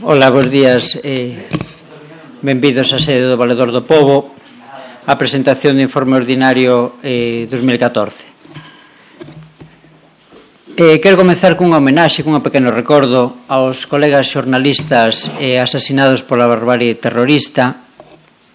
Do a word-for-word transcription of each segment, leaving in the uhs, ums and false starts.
Ola, bons días. Eh, benvidos á sede do Valedor do Pobo a presentación do informe ordinario eh, dos mil catorce. Eh, quero comenzar cunha homenaxe, cun pequeno recordo aos colegas xornalistas eh, asasinados pola barbarie terrorista,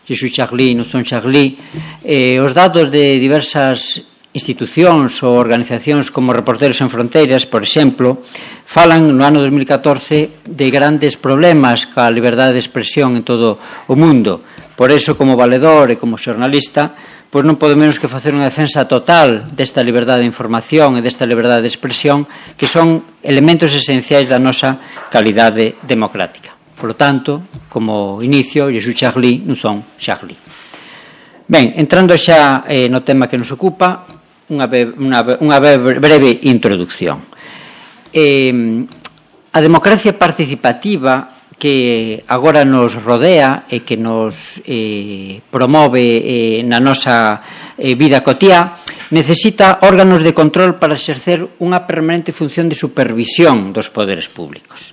Jesús Charlie, Nuzón Charlie. Eh, os datos de diversas institucións ou organizacións como Reporteros Sen Fronteiras, por exemplo, falan no ano dos mil catorce de grandes problemas ca liberdade de expresión en todo o mundo. Por eso, como valedor e como xornalista, pois non pode menos que facer unha defensa total desta liberdade de información e desta liberdade de expresión, que son elementos esenciais da nosa calidade democrática. Por lo tanto, como inicio, Jesús Charlie, Nuzón Charlie. Ben, entrando xa eh, no tema que nos ocupa, Unha, unha, unha breve introducción. Eh, a democracia participativa que agora nos rodea e que nos eh, promove eh, na nosa eh, vida cotiá necesita órganos de control para exercer unha permanente función de supervisión dos poderes públicos.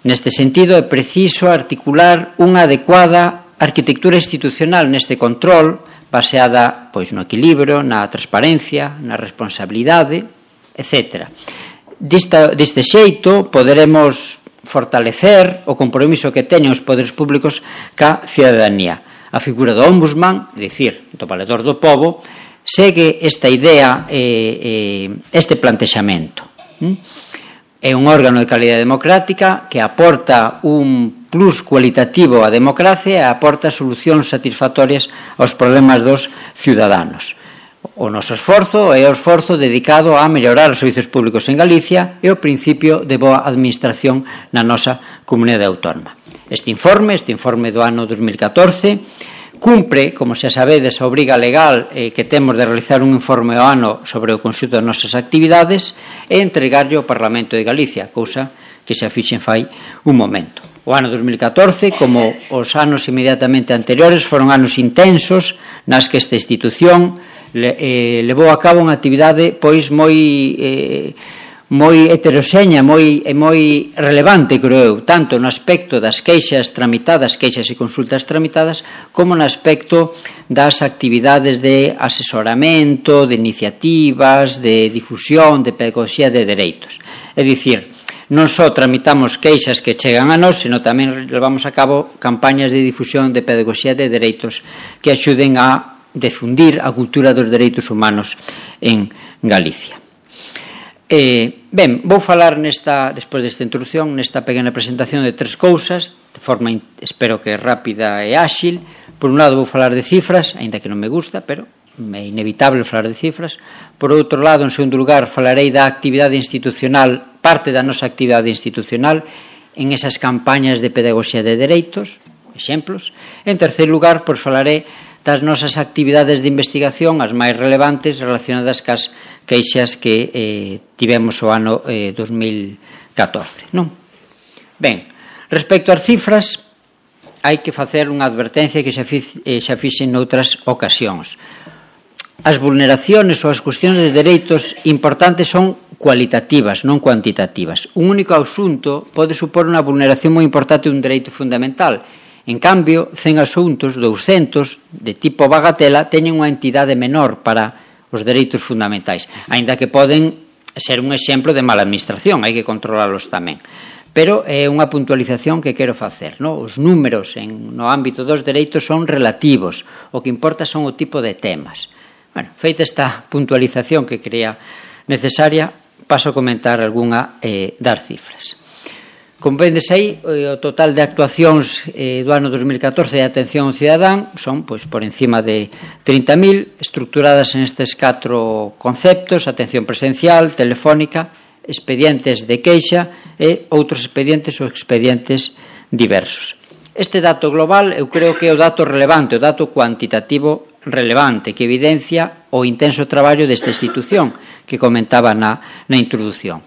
Neste sentido, é preciso articular unha adecuada arquitectura institucional neste control baseada pois, no equilibrio, na transparencia, na responsabilidade, etcétera. Desta, deste xeito, poderemos fortalecer o compromiso que teñen os poderes públicos ca cidadanía. A figura do ombudsman, é dicir, do valedor do pobo, segue esta idea, eh, eh, este plantexamento. É un órgano de calidade democrática que aporta un plus cualitativo á democracia e aporta solucións satisfactorias aos problemas dos ciudadanos. O noso esforzo é o esforzo dedicado a mellorar os servizos públicos en Galicia e o principio de boa administración na nosa comunidade autónoma. Este informe, este informe do ano dos mil catorce, cumpre, como xa sabedes, a obriga legal eh, que temos de realizar un informe ao ano sobre o conxunto das nosas actividades e entregarlle ao Parlamento de Galicia, cousa que xa fixen fai un momento. O ano dos mil catorce, como os anos inmediatamente anteriores, foron anos intensos nas que esta institución le, eh, levou a cabo unha actividade pois moi... Eh, moi heteroxeña, moi, moi relevante, creo eu, tanto no aspecto das queixas tramitadas, queixas e consultas tramitadas, como no aspecto das actividades de asesoramento, de iniciativas, de difusión, de pedagogía de dereitos. É dicir, non só tramitamos queixas que chegan a nós, senón tamén levamos a cabo campañas de difusión de pedagogía de dereitos que axuden a difundir a cultura dos dereitos humanos en Galicia. Eh, ben, vou falar nesta, despois desta introducción, nesta pequena presentación de tres cousas, de forma, espero que rápida e áxil. Por un lado vou falar de cifras, aínda que non me gusta, pero é inevitable falar de cifras. Por outro lado, en segundo lugar, falarei da actividade institucional, parte da nosa actividade institucional, en esas campañas de pedagogía de dereitos, exemplos. En terceiro lugar, pois falarei das nosas actividades de investigación, as máis relevantes relacionadas cas queixas que eh, tivemos o ano eh, dos mil catorce. Non? Ben, respecto ás cifras, hai que facer unha advertencia que xa, fiz, eh, xa fixen noutras ocasións. As vulneraciones ou as cuestións de dereitos importantes son cualitativas, non cuantitativas. Un único asunto pode supor unha vulneración moi importante dun dereito fundamental. En cambio, cen asuntos, douscentos, de tipo bagatela, teñen unha entidade menor para os dereitos fundamentais, aínda que poden ser un exemplo de mala administración, hai que controlalos tamén. Pero é unha puntualización que quero facer, non? Os números en, no ámbito dos dereitos son relativos, o que importa son o tipo de temas. Bueno, feita esta puntualización que creía necesaria, paso a comentar algunha eh, das cifras. Como vendes aí, o total de actuacións eh, do ano dos mil catorce de atención ao cidadán son pois, por encima de trinta mil, estructuradas en estes catro conceptos: atención presencial, telefónica, expedientes de queixa e outros expedientes ou expedientes diversos. Este dato global eu creo que é o dato relevante, o dato cuantitativo relevante, que evidencia o intenso traballo desta institución que comentaba na, na introdución.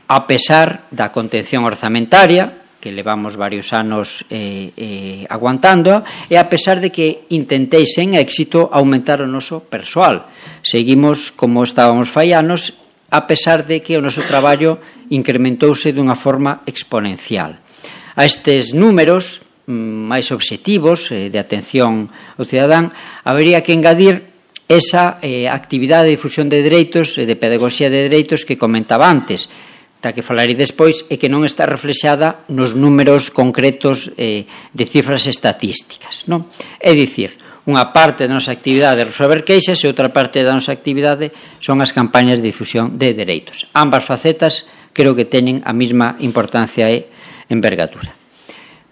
A pesar da contención orzamentaria, que levamos varios anos eh, eh, aguantando, e a pesar de que intentei sen éxito aumentar o noso persoal. Seguimos como estábamos fai anos, a pesar de que o noso traballo incrementouse dunha forma exponencial. A estes números máis obxectivos de atención ao cidadán, habería que engadir esa eh, actividade de difusión de dereitos e de pedagogía de dereitos que comentaba antes, da que falarei despois, e que non está reflexada nos números concretos eh, de cifras estatísticas, non? É dicir, unha parte da nosa actividade é resolver queixas e outra parte da nosa actividade son as campañas de difusión de dereitos. Ambas facetas creo que teñen a mesma importancia e envergadura.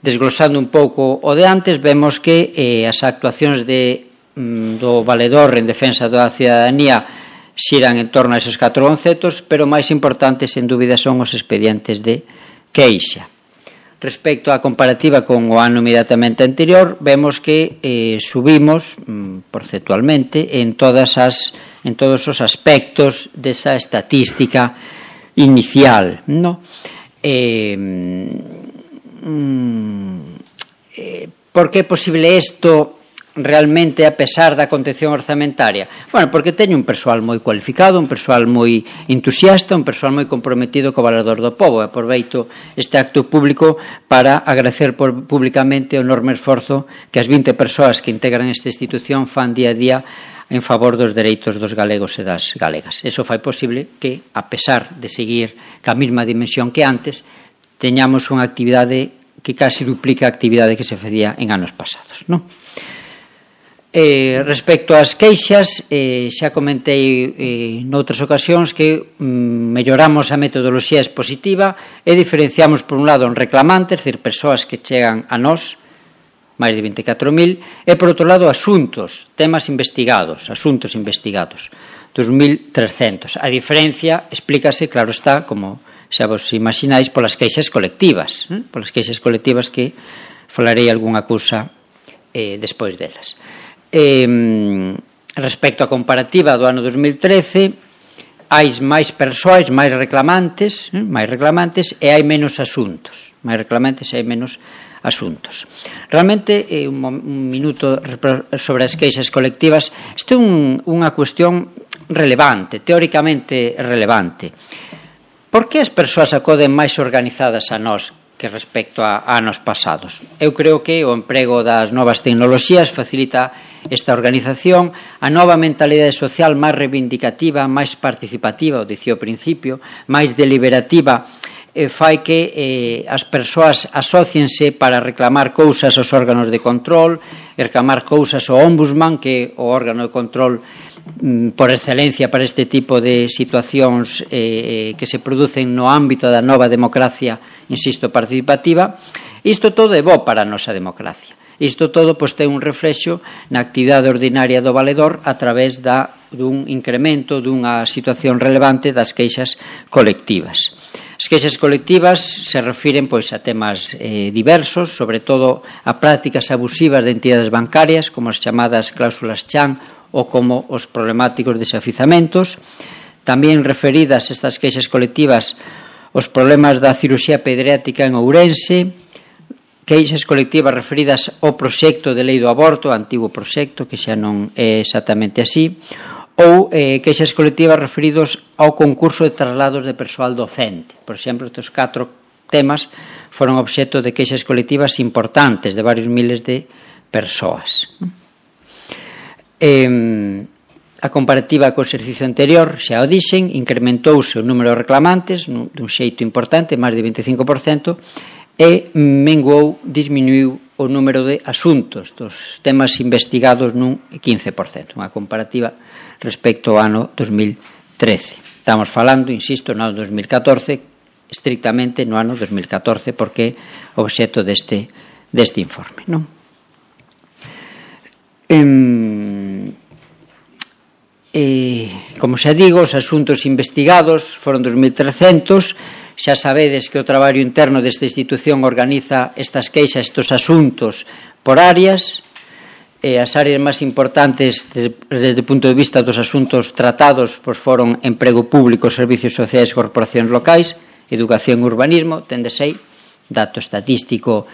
Desglosando un pouco o de antes, vemos que eh, as actuacións de, mm, do valedor en defensa da cidadanía xiran en torno a esos catro conceptos, pero máis importantes, sen dúbida, son os expedientes de queixa. Respecto á comparativa con o ano inmediatamente anterior, vemos que eh, subimos mm, porcentualmente en, todas as, en todos os aspectos desa estatística inicial, ¿no? Eh, Eh, por que é posible isto realmente a pesar da contención orzamentaria? Bueno, porque teño un persoal moi cualificado, un persoal moi entusiasta, un persoal moi comprometido co valedor do pobo. E aproveito este acto público para agradecer por, públicamente o enorme esforzo que as vinte persoas que integran esta institución fan día a día en favor dos dereitos dos galegos e das galegas. Eso fai posible que, a pesar de seguir ca mesma dimensión que antes, teñamos unha actividade que casi duplica a actividade que se facía en anos pasados, non? Eh, respecto ás queixas, eh, xa comentei eh, noutras ocasións que mm, melloramos a metodoloxía expositiva e diferenciamos por un lado en reclamantes, é dicir, persoas que chegan a nós, máis de vinte e catro mil, e por outro lado asuntos, temas investigados, asuntos investigados, dos mil trescentos. A diferencia explícase, claro está, como xa vos imagináis, polas queixas colectivas, eh? polas queixas colectivas que falarei algunha cousa eh, despois delas. Eh, respecto á comparativa do ano dos mil trece, hai máis persoas, máis reclamantes, eh? máis reclamantes e hai menos asuntos, máis reclamantes e hai menos asuntos. Realmente, eh, un, un minuto sobre as queixas colectivas, isto é un, unha cuestión relevante, teóricamente relevante. Por que as persoas acoden máis organizadas a nós que respecto a anos pasados? Eu creo que o emprego das novas tecnoloxías facilita esta organización, a nova mentalidade social máis reivindicativa, máis participativa, o dicía ao principio, máis deliberativa, eh, fai que eh, as persoas asóciense para reclamar cousas aos órganos de control, reclamar cousas ao ombudsman, que é o órgano de control por excelencia para este tipo de situacións eh, que se producen no ámbito da nova democracia, insisto, participativa. Isto todo é bo para a nosa democracia. Isto todo pois, ten un reflexo na actividade ordinaria do valedor a través da, dun incremento dunha situación relevante das queixas colectivas. As queixas colectivas se refiren pois, a temas eh, diversos, sobre todo a prácticas abusivas de entidades bancarias, como as chamadas cláusulas chan, ou como os problemáticos desafizamentos. Tamén referidas estas queixas colectivas os problemas da cirurxía pediátrica en Ourense, queixas colectivas referidas ao proxecto de lei do aborto, antigo proxecto, que xa non é exactamente así, ou eh, queixas colectivas referidos ao concurso de traslados de persoal docente. Por exemplo, estes catro temas foron obxecto de queixas colectivas importantes de varios miles de persoas. Eh, a comparativa co exercicio anterior, xa o dixen, incrementouse o número de reclamantes dun xeito importante, máis de vinte e cinco por cento, e menguou, disminuiu o número de asuntos dos temas investigados nun quince por cento, unha comparativa respecto ao ano dos mil trece. Estamos falando, insisto, no ano dos mil catorce, estrictamente no ano dos mil catorce, porque é obxecto deste, deste informe, non? Eh, eh, como xa digo, os asuntos investigados foron dos mil trescentos. Xa sabedes que o traballo interno desta institución organiza estas queixas, estes asuntos por áreas. Eh, as áreas máis importantes desde o punto de vista dos asuntos tratados pois foron emprego público, servicios sociais, corporacións locais, educación e urbanismo. Tendes aí dato estatístico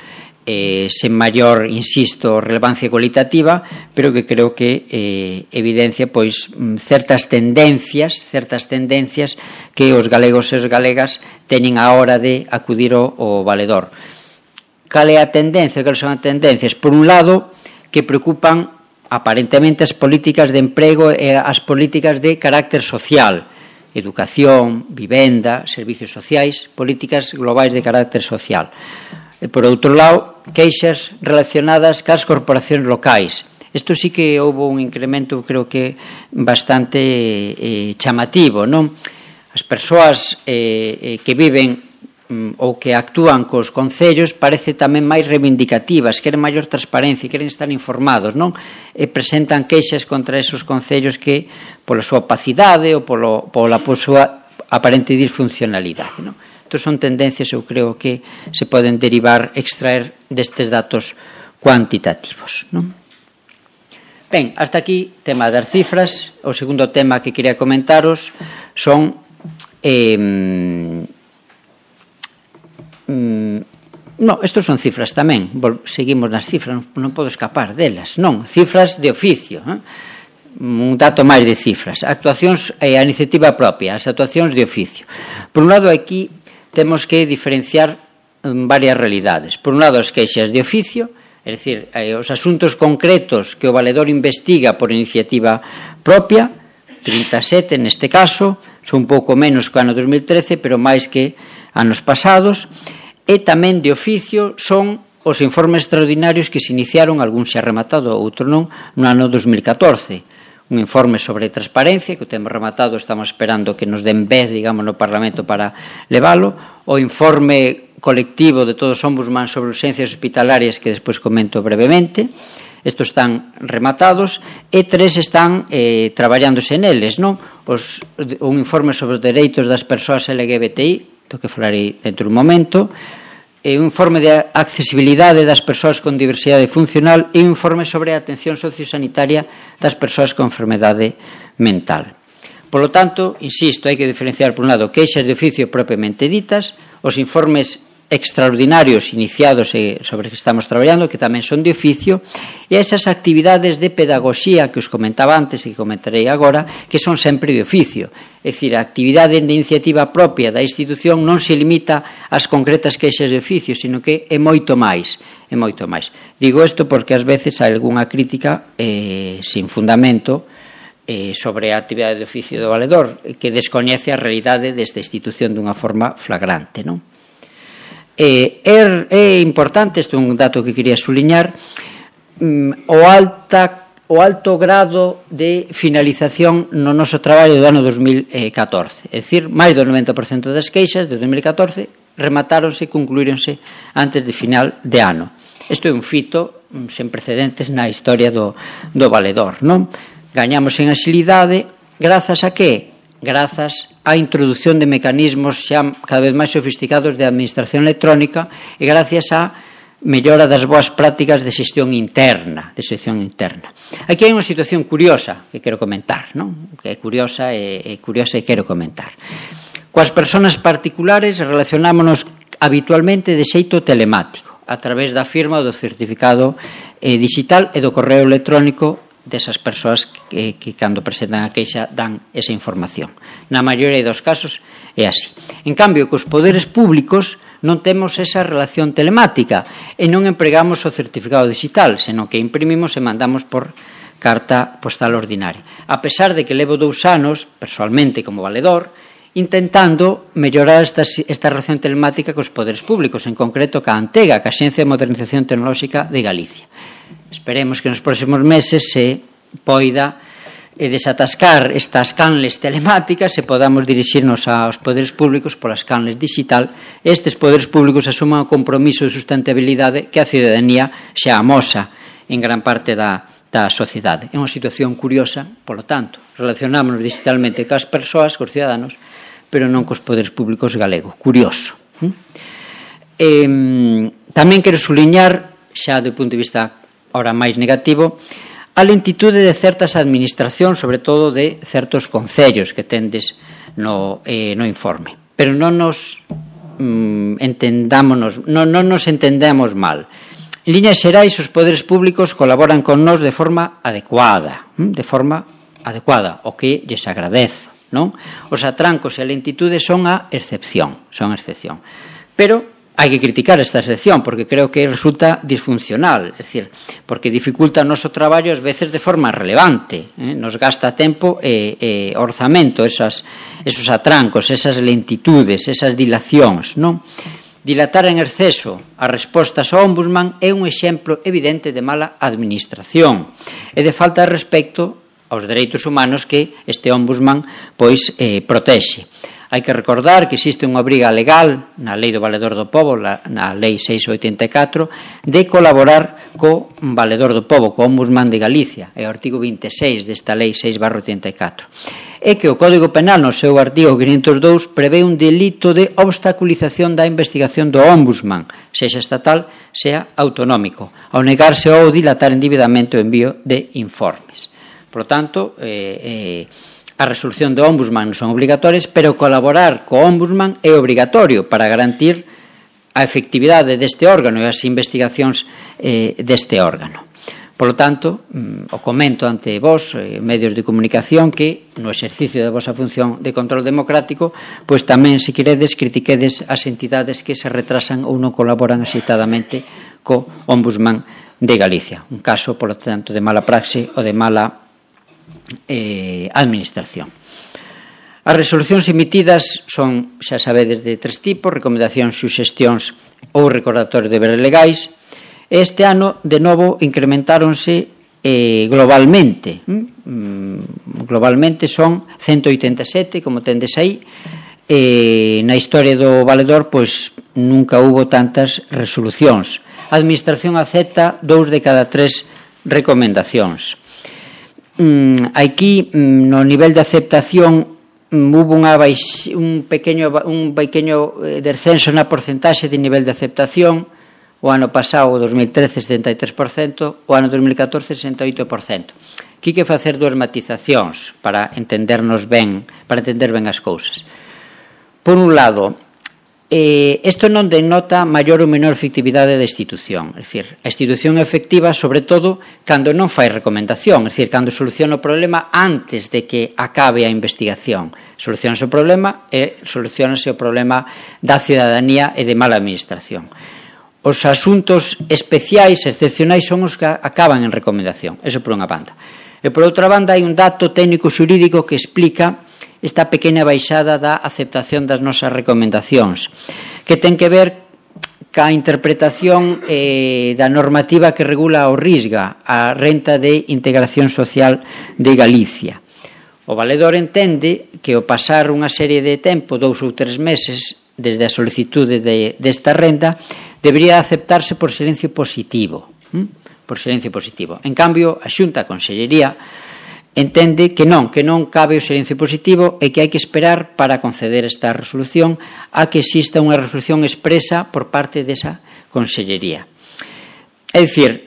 eh, sen maior, insisto, relevancia cualitativa, pero que creo que eh, evidencia pois certas tendencias, certas tendencias que os galegos e os galegas teñen a hora de acudir ao, ao valedor. cal é a tendencia, cal son as tendencias? Por un lado, que preocupan aparentemente as políticas de emprego e as políticas de carácter social, educación, vivenda, servicios sociais, políticas globais de carácter social. E, por outro lado, queixas relacionadas cas corporacións locais. Isto sí que houve un incremento, creo que bastante eh, chamativo, non? As persoas eh, que viven ou que actúan cos concellos parece tamén máis reivindicativas, queren maior transparencia, queren estar informados, non? E presentan queixas contra esos concellos que, pola súa opacidade ou polo, pola súa aparente disfuncionalidade, non? Entón son tendencias, eu creo que se poden derivar, extraer destes datos cuantitativos, non? Ben, hasta aquí, tema das cifras. O segundo tema que quería comentaros son eh, mm, no, estos son cifras tamén, seguimos nas cifras, non, non podo escapar delas, non, cifras de oficio, eh? Un dato máis de cifras, actuacións e a iniciativa propia, as actuacións de oficio. Por un lado, aquí temos que diferenciar varias realidades. Por un lado, as queixas de oficio, é dicir, os asuntos concretos que o valedor investiga por iniciativa propia, trinta e sete neste caso, son un pouco menos que o ano dos mil trece, pero máis que anos pasados, e tamén de oficio son os informes extraordinarios que se iniciaron, algún xa rematado, outro non, no ano dos mil catorce. Un informe sobre transparencia, que o temos rematado, estamos esperando que nos den vez, digamos, no Parlamento para leválo, o informe colectivo de todos os ombudsman sobre urxencias hospitalarias, que despois comento brevemente. Estos están rematados e tres están eh, traballándose neles, non? Os, un informe sobre os dereitos das persoas L G B T I, do que falarei dentro dun momento, e un informe de accesibilidade das persoas con diversidade funcional e un informe sobre a atención sociosanitaria das persoas con enfermedade mental. Por lo tanto, insisto, hai que diferenciar, por un lado, queixas de oficio propiamente ditas, os informes extraordinarios iniciados e sobre que estamos traballando, que tamén son de oficio, e esas actividades de pedagogía que os comentaba antes e que comentarei agora, que son sempre de oficio. É dicir, a actividade de iniciativa propia da institución non se limita ás concretas queixas de oficio, sino que é moito máis, é moito máis. Digo isto porque ás veces hai algunha crítica eh, sin fundamento eh, sobre a actividade de oficio do valedor, que descoñece a realidade desta institución dunha forma flagrante, non? É, é, é importante, isto é un dato que quería suliñar, o, alta, o alto grado de finalización no noso traballo do ano dos mil catorce. É dicir, máis do noventa por cento das queixas de dos mil catorce rematáronse e concluíronse antes de final de ano. Isto é un fito sen precedentes na historia do, do valedor, non? Gañamos en axilidade, grazas a que? Grazas á introdución de mecanismos xa cada vez máis sofisticados de administración electrónica e gracias á mellora das boas prácticas de xestión interna, de xestión interna. Aquí hai unha situación curiosa que quero comentar, non? Que é curiosa e, e curiosa e quero comentar. Coas persoas particulares relacionámonos habitualmente de xeito telemático, a través da firma do certificado eh, digital e do correo electrónico desas persoas que, que cando presentan a queixa dan esa información. Na maioría dos casos é así. En cambio, cos poderes públicos non temos esa relación telemática e non empregamos o certificado digital, senón que imprimimos e mandamos por carta postal ordinaria. A pesar de que levo dous anos, personalmente como valedor, intentando mellorar esta, esta relación telemática cos poderes públicos, en concreto ca ANTEGA, ca Axencia de Modernización Tecnolóxica de Galicia. Esperemos que nos próximos meses se poida desatascar estas canles telemáticas e podamos dirixirnos aos poderes públicos polas canles digital e estes poderes públicos asuman o compromiso de sustentabilidade que a cidadanía xa amosa en gran parte da, da sociedade. É unha situación curiosa, polo tanto, relacionámonos digitalmente cas persoas, cos ciudadanos, pero non cos poderes públicos galego. Curioso. Eh, tamén quero suliñar, xa do punto de vista ora máis negativo, a lentitude de certas administracións, sobre todo de certos concellos que tendes no, eh, no informe. Pero non nos mm, entendámonos, non, non nos entendemos mal. En líneas xerais, os poderes públicos colaboran con nós de forma adecuada, de forma adecuada, o que lles agradezo, non? Os atrancos e a lentitude son a excepción, son a excepción. Pero hai que criticar esta excepción porque creo que resulta disfuncional, é dicir, porque dificulta o noso traballo ás veces de forma relevante, eh? nos gasta tempo e, e orzamento, esas, esos atrancos, esas lentitudes, esas dilacións, non? Dilatar en exceso as respostas ao Ombudsman é un exemplo evidente de mala administración e de falta de respecto aos dereitos humanos que este Ombudsman pois eh, protexe. Hai que recordar que existe unha obriga legal na Lei do Valedor do Pobo, na Lei seiscentos oitenta e catro, de colaborar co Valedor do Pobo, co Ombudsman de Galicia, é o artigo vinte e seis desta Lei seis barra oitenta e catro. É que o Código Penal, no seu artigo quinhentos e dous, prevé un delito de obstaculización da investigación do Ombudsman, sexa estatal, sea autonómico, ao negarse ou dilatar indebidamente o envío de informes. Por lo tanto, eh, eh, a resolución do Ombudsman non son obligatorias, pero colaborar co Ombudsman é obrigatorio para garantir a efectividade deste órgano e as investigacións eh, deste órgano. Por lo tanto, o comento ante vos, eh, medios de comunicación, que no exercicio da vosa función de control democrático, pois tamén, se queredes, critiquedes as entidades que se retrasan ou non colaboran axeitadamente co Ombudsman de Galicia. Un caso, por lo tanto, de mala praxe ou de mala Eh, administración. As resolucións emitidas son, xa sabedes, de tres tipos: recomendacións, suxestións ou recordatorios de deberes legais. Este ano, de novo, incrementáronse eh, globalmente. Mm, globalmente son ciento oitenta e sete, como tendes aí. Eh, na historia do Valedor, pois, nunca hubo tantas resolucións. A Administración acepta dous de cada tres recomendacións. Aquí, no nivel de aceptación, hubo unha baix, un pequeño, un pequeño descenso na porcentaxe de nivel de aceptación. O ano pasado, o dos mil trece, setenta e tres por cento, o ano dos mil catorce, sesenta e oito por cento. Aquí hai que facer dúas matizacións para entendernos ben, para entender ben as cousas. Por un lado, Eh, isto non denota maior ou menor efectividade da institución, é dicir, a institución é efectiva sobre todo cando non fai recomendación, é dicir, cando soluciona o problema antes de que acabe a investigación. Solucionase o problema e solucionase o problema da cidadanía e de mala administración. Os asuntos especiais, excepcionais, son os que acaban en recomendación, eso por unha banda. E por outra banda hai un dato técnico xurídico que explica esta pequena baixada da aceptación das nosas recomendacións, que ten que ver ca interpretación eh, da normativa que regula o RISGA, a Renta de Integración Social de Galicia. O valedor entende que ao pasar unha serie de tempo, dous ou tres meses, desde a solicitude de, desta renda, debería aceptarse por silencio positivo. ¿Mm? Por silencio positivo. En cambio, a Xunta, a Consellería, entende que non, que non cabe o silencio positivo e que hai que esperar para conceder esta resolución a que exista unha resolución expresa por parte desa Consellería. É dicir,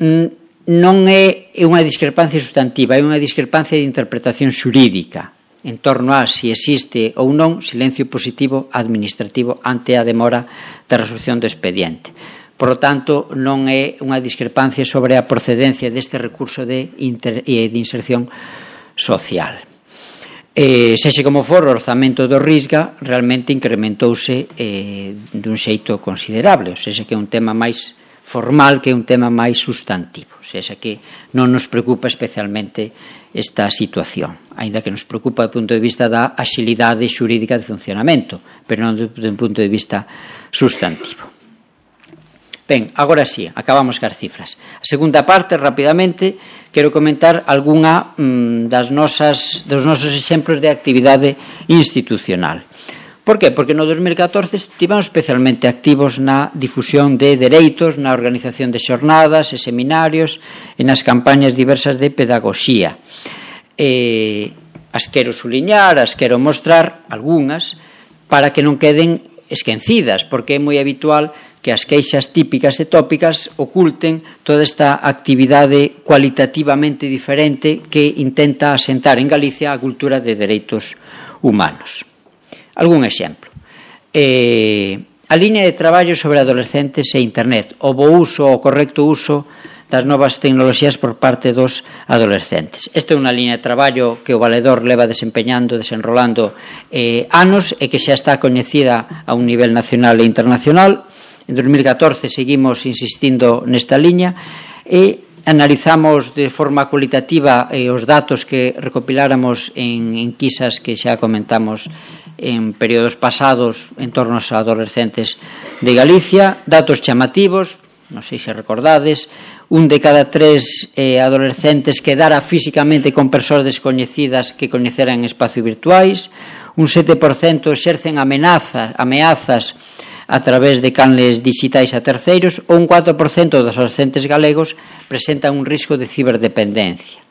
non é unha discrepancia sustantiva, é unha discrepancia de interpretación xurídica en torno a si existe ou non silencio positivo administrativo ante a demora da resolución do expediente. Por lo tanto, non é unha discrepancia sobre a procedencia deste recurso de, inter, de inserción social. Eh, sexe como for, o orzamento do RISGA realmente incrementouse eh, dun xeito considerable, ou seja, que é un tema máis formal que é un tema máis sustantivo, ou seja, que non nos preocupa especialmente esta situación, aínda que nos preocupa do punto de vista da axilidade xurídica de funcionamento, pero non do punto de vista sustantivo. Ben, agora sí, acabamos cas cifras. A segunda parte, rapidamente, quero comentar algunha mm, das nosas, dos nosos exemplos de actividade institucional. Por qué? Porque no dos mil catorce estivemos especialmente activos na difusión de dereitos, na organización de xornadas e seminarios e nas campañas diversas de pedagogía. Eh, as quero suliñar, as quero mostrar, algunhas, para que non queden esquecidas, porque é moi habitual que as queixas típicas e tópicas oculten toda esta actividade cualitativamente diferente que intenta asentar en Galicia a cultura de dereitos humanos. Algún exemplo. Eh, a liña de traballo sobre adolescentes e internet, o bo uso, o correcto uso das novas tecnoloxías por parte dos adolescentes. Esta é unha liña de traballo que o valedor leva desempeñando, desenrolando eh, anos e que xa está coñecida a un nivel nacional e internacional. En dos mil catorce seguimos insistindo nesta liña e analizamos de forma cualitativa eh, os datos que recopiláramos en enquisas que xa comentamos en períodos pasados en torno aos adolescentes de Galicia, datos chamativos, non sei se recordades, un de cada tres eh, adolescentes quedara físicamente con persoas descoñecidas que coñeceran en espacios virtuais, un sete por cento exercen amenazas, ameazas a través de canles digitais a terceiros, ou un catro por cento dos adolescentes galegos presentan un risco de ciberdependencia.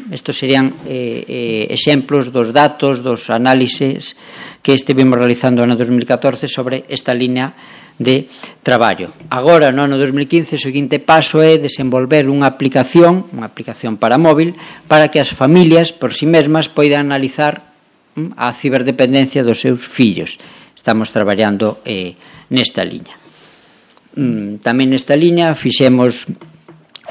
Estos serían eh, eh, exemplos dos datos, dos análises que estivemos realizando no ano dos mil catorce sobre esta línea de traballo. Agora, no ano dos mil quince, o seguinte paso é desenvolver unha aplicación, unha aplicación para móvil, para que as familias, por si mesmas, poidan analizar a ciberdependencia dos seus fillos. Estamos traballando eh, nesta liña. Tamén nesta liña fixemos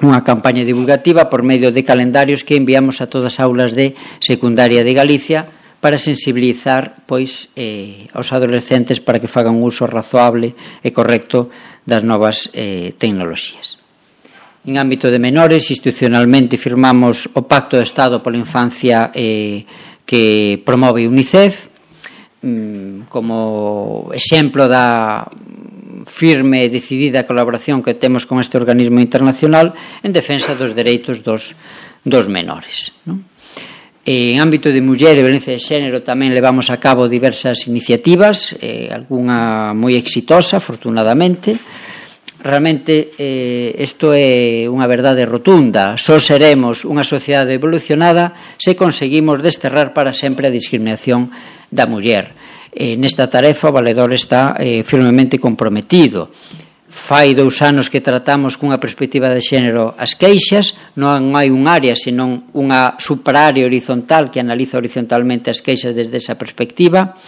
unha campaña divulgativa por medio de calendarios que enviamos a todas as aulas de secundaria de Galicia para sensibilizar pois eh, aos adolescentes para que fagan un uso razoable e correcto das novas eh, tecnoloxías. En ámbito de menores, institucionalmente firmamos o Pacto de Estado pola Infancia eh, que promove UNICEF como exemplo da firme e decidida colaboración que temos con este organismo internacional en defensa dos dereitos dos, dos menores, non? En ámbito de muller e violencia de xénero tamén levamos a cabo diversas iniciativas, eh, algunha moi exitosa, afortunadamente. Realmente eh, isto é unha verdade rotunda. Só seremos unha sociedade evolucionada se conseguimos desterrar para sempre a discriminación da muller. Eh, nesta tarefa o Valedor está eh, firmemente comprometido. Fai dous anos que tratamos cunha perspectiva de xénero as queixas, non hai un área, senón unha supraárea horizontal que analiza horizontalmente as queixas desde esa perspectiva.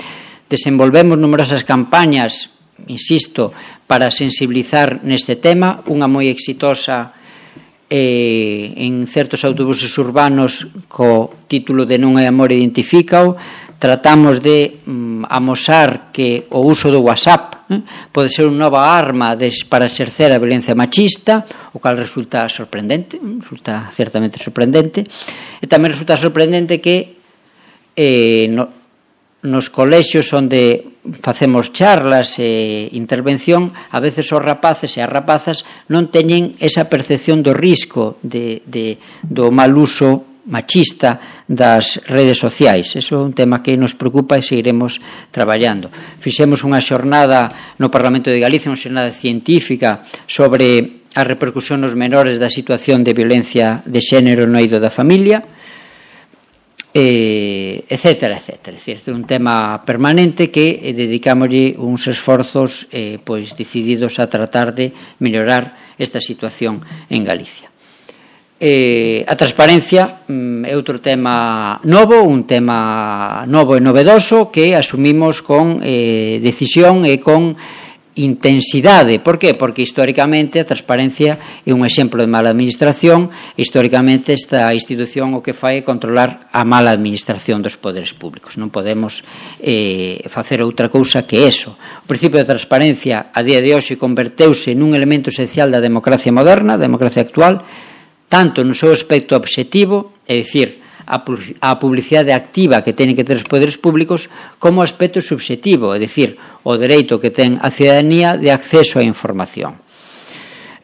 Desenvolvemos numerosas campañas, insisto, para sensibilizar neste tema, unha moi exitosa eh, en certos autobuses urbanos co título de Non hai amor, identifícao. Tratamos de mm, amosar que o uso do WhatsApp eh, pode ser unha nova arma des, para exercer a violencia machista, o cal resulta sorprendente, resulta certamente sorprendente, e tamén resulta sorprendente que eh, no, nos colexios onde facemos charlas e intervención, a veces os rapaces e as rapazas non teñen esa percepción do risco de, de, do mal uso machista das redes sociais. Eso é un tema que nos preocupa e seguiremos traballando. Fixemos unha xornada no Parlamento de Galicia, unha xornada científica sobre a repercusión nos menores da situación de violencia de xénero no eido da familia, eh, etcétera, etcétera. É dicir, é un tema permanente que eh, dedicámoslle uns esforzos eh, pois decididos a tratar de mellorar esta situación en Galicia. Eh, a transparencia mm, é outro tema novo, un tema novo e novedoso que asumimos con eh, decisión e con intensidade. Por qué? Porque históricamente a transparencia é un exemplo de mala administración. Históricamente esta institución o que fai é controlar a mala administración dos poderes públicos. Non podemos eh, facer outra cousa que eso. O principio de transparencia a día de hoxe converteuse nun elemento esencial da democracia moderna, da democracia actual, tanto no seu aspecto obxectivo, é dicir, a publicidade activa que teñen que ter os poderes públicos, como aspecto subxectivo, é dicir, o dereito que ten a ciudadanía de acceso á información.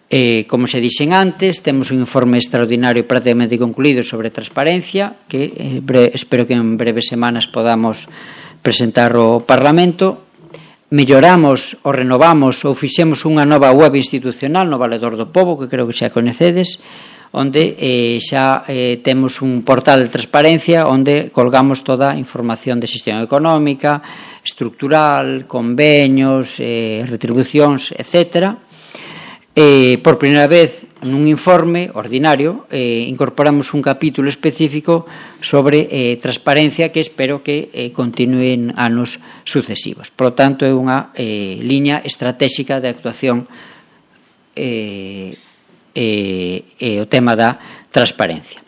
Eh, como se dixen antes, temos un informe extraordinario prácticamente concluído sobre transparencia, que eh, bre, espero que en breves semanas podamos presentar ao Parlamento. Melloramos ou renovamos ou fixemos unha nova web institucional no Valedor do Pobo, que creo que xa coñecedes, onde eh, xa eh, temos un portal de transparencia onde colgamos toda a información de xestión económica, estructural, convenios, eh, retribucións, etcétera. Eh, por primeira vez, nun informe ordinario, eh, incorporamos un capítulo específico sobre eh, transparencia que espero que eh, continúen anos sucesivos. Por lo tanto, é unha eh, liña estratégica de actuación eh, E, e o tema da transparencia.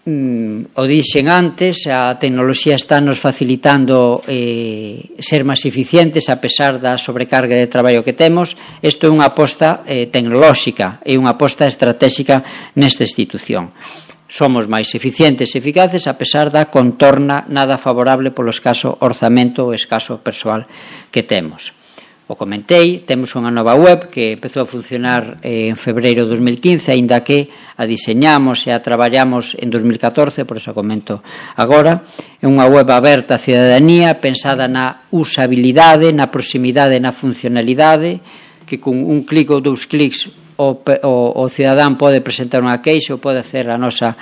mm, o dixen antes, a tecnoloxía está nos facilitando eh, ser máis eficientes a pesar da sobrecarga de traballo que temos. Isto é unha aposta eh, tecnolóxica, é unha aposta estratégica nesta institución. Somos máis eficientes e eficaces a pesar da contorna nada favorable polo escaso orzamento ou escaso persoal que temos. O comentei, temos unha nova web que empezou a funcionar eh, en febreiro de dos mil quince, aínda que a diseñamos e a traballamos en dos mil catorce, por iso a comento agora. É unha web aberta á cidadanía, pensada na usabilidade, na proximidade, na funcionalidade, que con un clic ou dous clics o, o, o cidadán pode presentar unha queixa ou pode hacer a nosa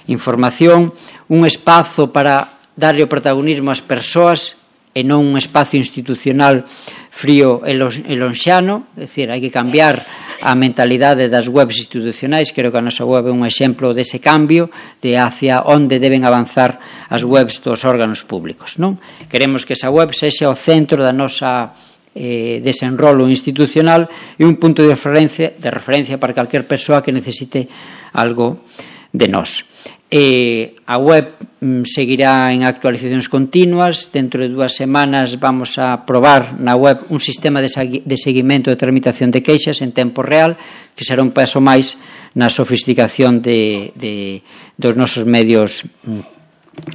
información, un espazo para darlle o protagonismo ás persoas e non un espazo institucional frío e lonxano, é dicir, hai que cambiar a mentalidade das webs institucionais. Creo que a nosa web é un exemplo dese cambio de hacia onde deben avanzar as webs dos órganos públicos, non? Queremos que esa web sexa o centro da nosa eh, desenrolo institucional e un punto de referencia, de referencia para calquer persoa que necesite algo de nós. Eh, a web mm, seguirá en actualizacións continuas. Dentro de dúas semanas vamos a probar na web un sistema de, de seguimento de tramitación de queixas en tempo real, que será un paso máis na sofisticación de, de, dos nosos medios mm,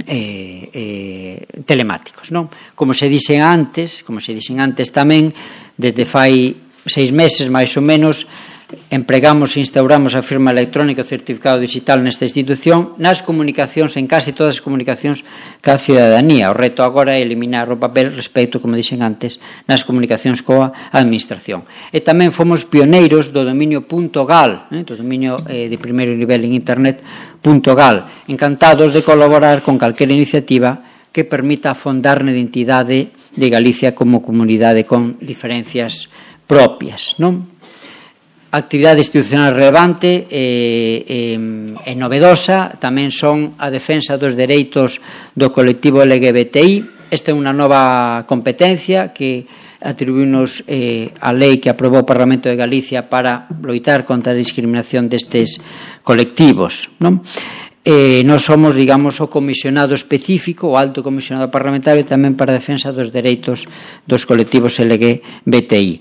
eh, eh, telemáticos, non? Como se dixen antes, como se dixen antes tamén, desde fai seis meses máis ou menos, empregamos e instauramos a firma electrónica e o certificado digital nesta institución nas comunicacións, en case todas as comunicacións ca cidadanía. O reto agora é eliminar o papel respecto, como dixen antes, nas comunicacións coa administración. E tamén fomos pioneiros do dominio .gal, eh, do dominio eh, de primeiro nivel en internet .gal. Encantados de colaborar con calquera iniciativa que permita afondar na identidade de Galicia como comunidade con diferencias propias, non? Actividade institucional relevante e, e, e novedosa tamén son a defensa dos dereitos do colectivo L G B T I. Esta é unha nova competencia que atribuínos eh, a lei que aprobou o Parlamento de Galicia para loitar contra a discriminación destes colectivos, non? Eh, nós somos, digamos, o comisionado específico, o alto comisionado parlamentario tamén para a defensa dos dereitos dos colectivos L G B T I.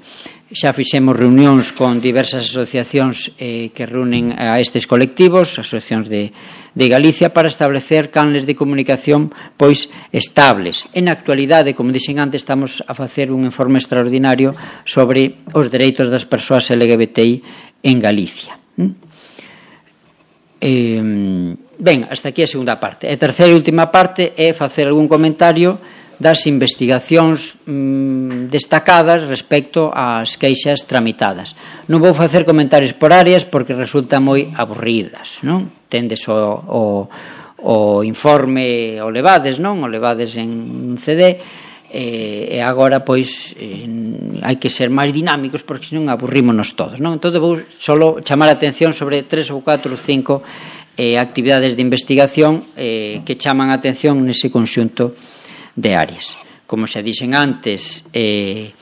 Xa fixemos reunións con diversas asociacións eh, que reúnen a estes colectivos, asociacións de, de Galicia, para establecer canles de comunicación pois estables. En actualidade, como dixen antes, estamos a facer un informe extraordinario sobre os dereitos das persoas L G B T I en Galicia. Eh, ben, hasta aquí a segunda parte. A terceira e última parte é facer algún comentario das investigacións mm, destacadas respecto ás queixas tramitadas. Non vou facer comentarios por áreas porque resultan moi aburridas, non? Tendes o, o, o informe o levades, non? O levades en un C D e, e agora, pois, eh, hai que ser máis dinámicos porque senón aburrímonos todos, non? Entón, vou solo chamar a atención sobre tres ou catro ou cinco eh, actividades de investigación eh, que chaman a atención nese conxunto de áreas. Como xa dixen antes, eh,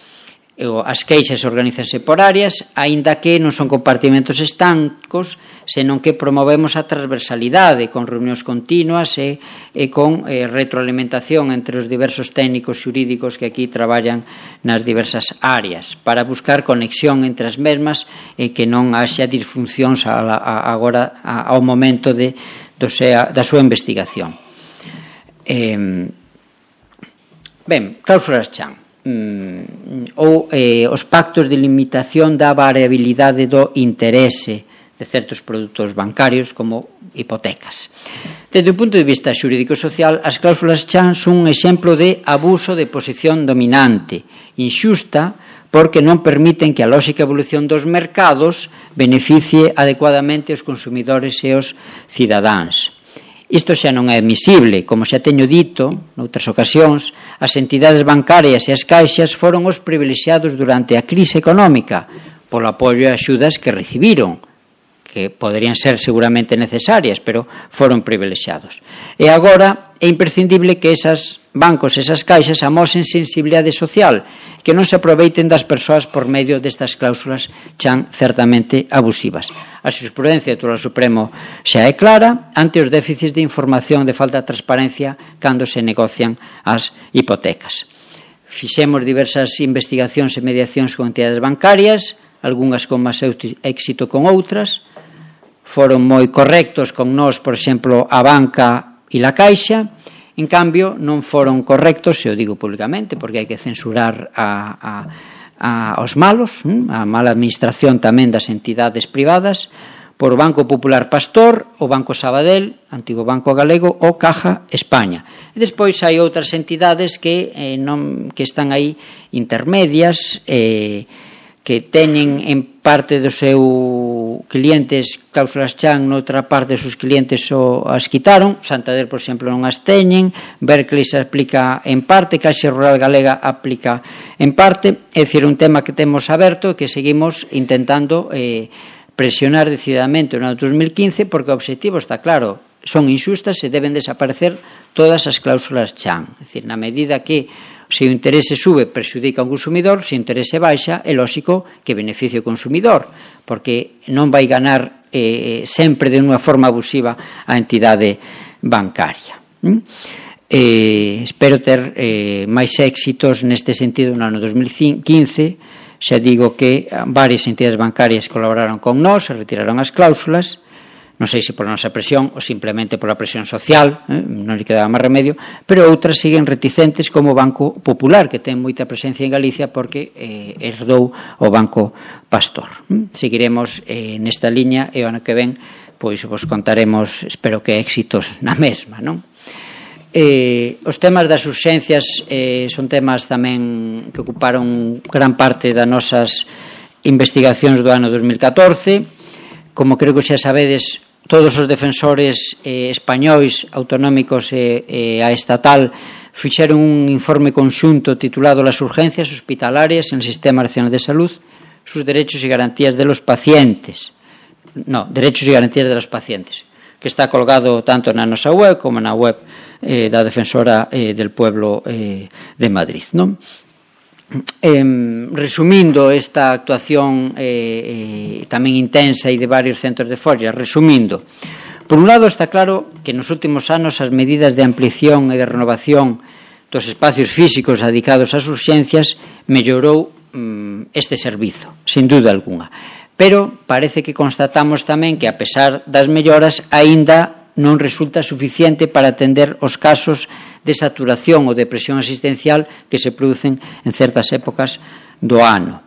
as queixas organízanse por áreas, aínda que non son compartimentos estancos, senón que promovemos a transversalidade con reunións continuas e, e con eh, retroalimentación entre os diversos técnicos xurídicos que aquí traballan nas diversas áreas, para buscar conexión entre as mesmas e que non haxa disfuncións a, a, agora a, ao momento de, do sea, da súa investigación. Eh, Ben, cláusulas chan mm, ou eh, os pactos de limitación da variabilidade do interese de certos produtos bancarios como hipotecas. Desde o punto de vista xurídico-social, as cláusulas chan son un exemplo de abuso de posición dominante, inxusta, porque non permiten que a lóxica evolución dos mercados beneficie adecuadamente os consumidores e os cidadáns. Isto xa non é admisible. Como xa teño dito noutras ocasións, as entidades bancarias e as caixas foron os privilexiados durante a crise económica polo apoio e axudas que recibiron, que poderían ser seguramente necesarias, pero foron privilexiados. E agora é imprescindible que esas bancos e esas caixas amosen sensibilidade social, que non se aproveiten das persoas por medio destas cláusulas chan certamente abusivas. A xurisprudencia do Tribunal Supremo xa é clara ante os déficits de información de falta de transparencia cando se negocian as hipotecas. Fixemos diversas investigacións e mediacións con entidades bancarias, algunhas con máis éxito con outras. Foron moi correctos con nós, por exemplo, a banca e la Caixa. En cambio, non foron correctos, se o digo públicamente, porque hai que censurar a, a, a, aos malos, a mala administración tamén das entidades privadas, por o Banco Popular Pastor, o Banco Sabadell, antigo Banco Galego, ou Caja España. E despois hai outras entidades que, eh, non, que están aí intermedias, eh, que teñen en parte dos seus clientes cláusulas chan, noutra parte dos seus clientes só as quitaron. Santander, por exemplo, non as teñen, Berkeley se aplica en parte, Caixa Rural Galega aplica en parte. É dicir, un tema que temos aberto e que seguimos intentando eh, presionar decididamente no ano dos mil quince, porque o obxectivo está claro, son inxustas e deben desaparecer todas as cláusulas chan. É dicir, na medida que se o interese sube, perxudica ao consumidor, se o interese baixa, é lóxico que beneficie o consumidor, porque non vai ganar eh, sempre de unha forma abusiva a entidade bancaria. ¿Mm? Eh, espero ter eh, máis éxitos neste sentido no ano dos mil quince. Xa digo que varias entidades bancarias colaboraron con nós, retiraron as cláusulas, non sei se por nosa presión ou simplemente por a presión social, eh, non lle quedaba máis remedio, pero outras siguen reticentes como o Banco Popular, que ten moita presencia en Galicia porque eh, herdou o Banco Pastor. Mm? Seguiremos eh, nesta liña e o ano que ven pois vos contaremos, espero que éxitos na mesma, non? Eh, os temas das urxencias eh, son temas tamén que ocuparon gran parte das nosas investigacións do ano dos mil catorce. Como creo que xa sabedes, todos os defensores eh, españois, autonómicos e, e a estatal fixeron un informe conxunto titulado Las urgencias hospitalarias en el Sistema Nacional de Salud, sus derechos y garantías de los pacientes. No, derechos y garantías de los pacientes, que está colgado tanto na nosa web como na web eh, da Defensora eh, del Pueblo eh, de Madrid, non? Eh, resumindo esta actuación eh, eh, tamén intensa e de varios centros de Foria, resumindo, por un lado está claro que nos últimos anos as medidas de ampliación e de renovación dos espacios físicos dedicados ás urxencias mellorou mm, este servizo, sin duda alguna, pero parece que constatamos tamén que a pesar das melloras aínda non resulta suficiente para atender os casos de saturación ou de presión asistencial que se producen en certas épocas do ano.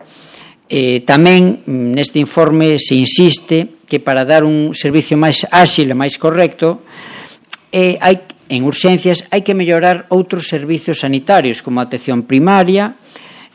Eh, tamén neste informe se insiste que para dar un servicio máis áxil e máis correcto eh, hai, en urxencias hai que mellorar outros servicios sanitarios como a atención primaria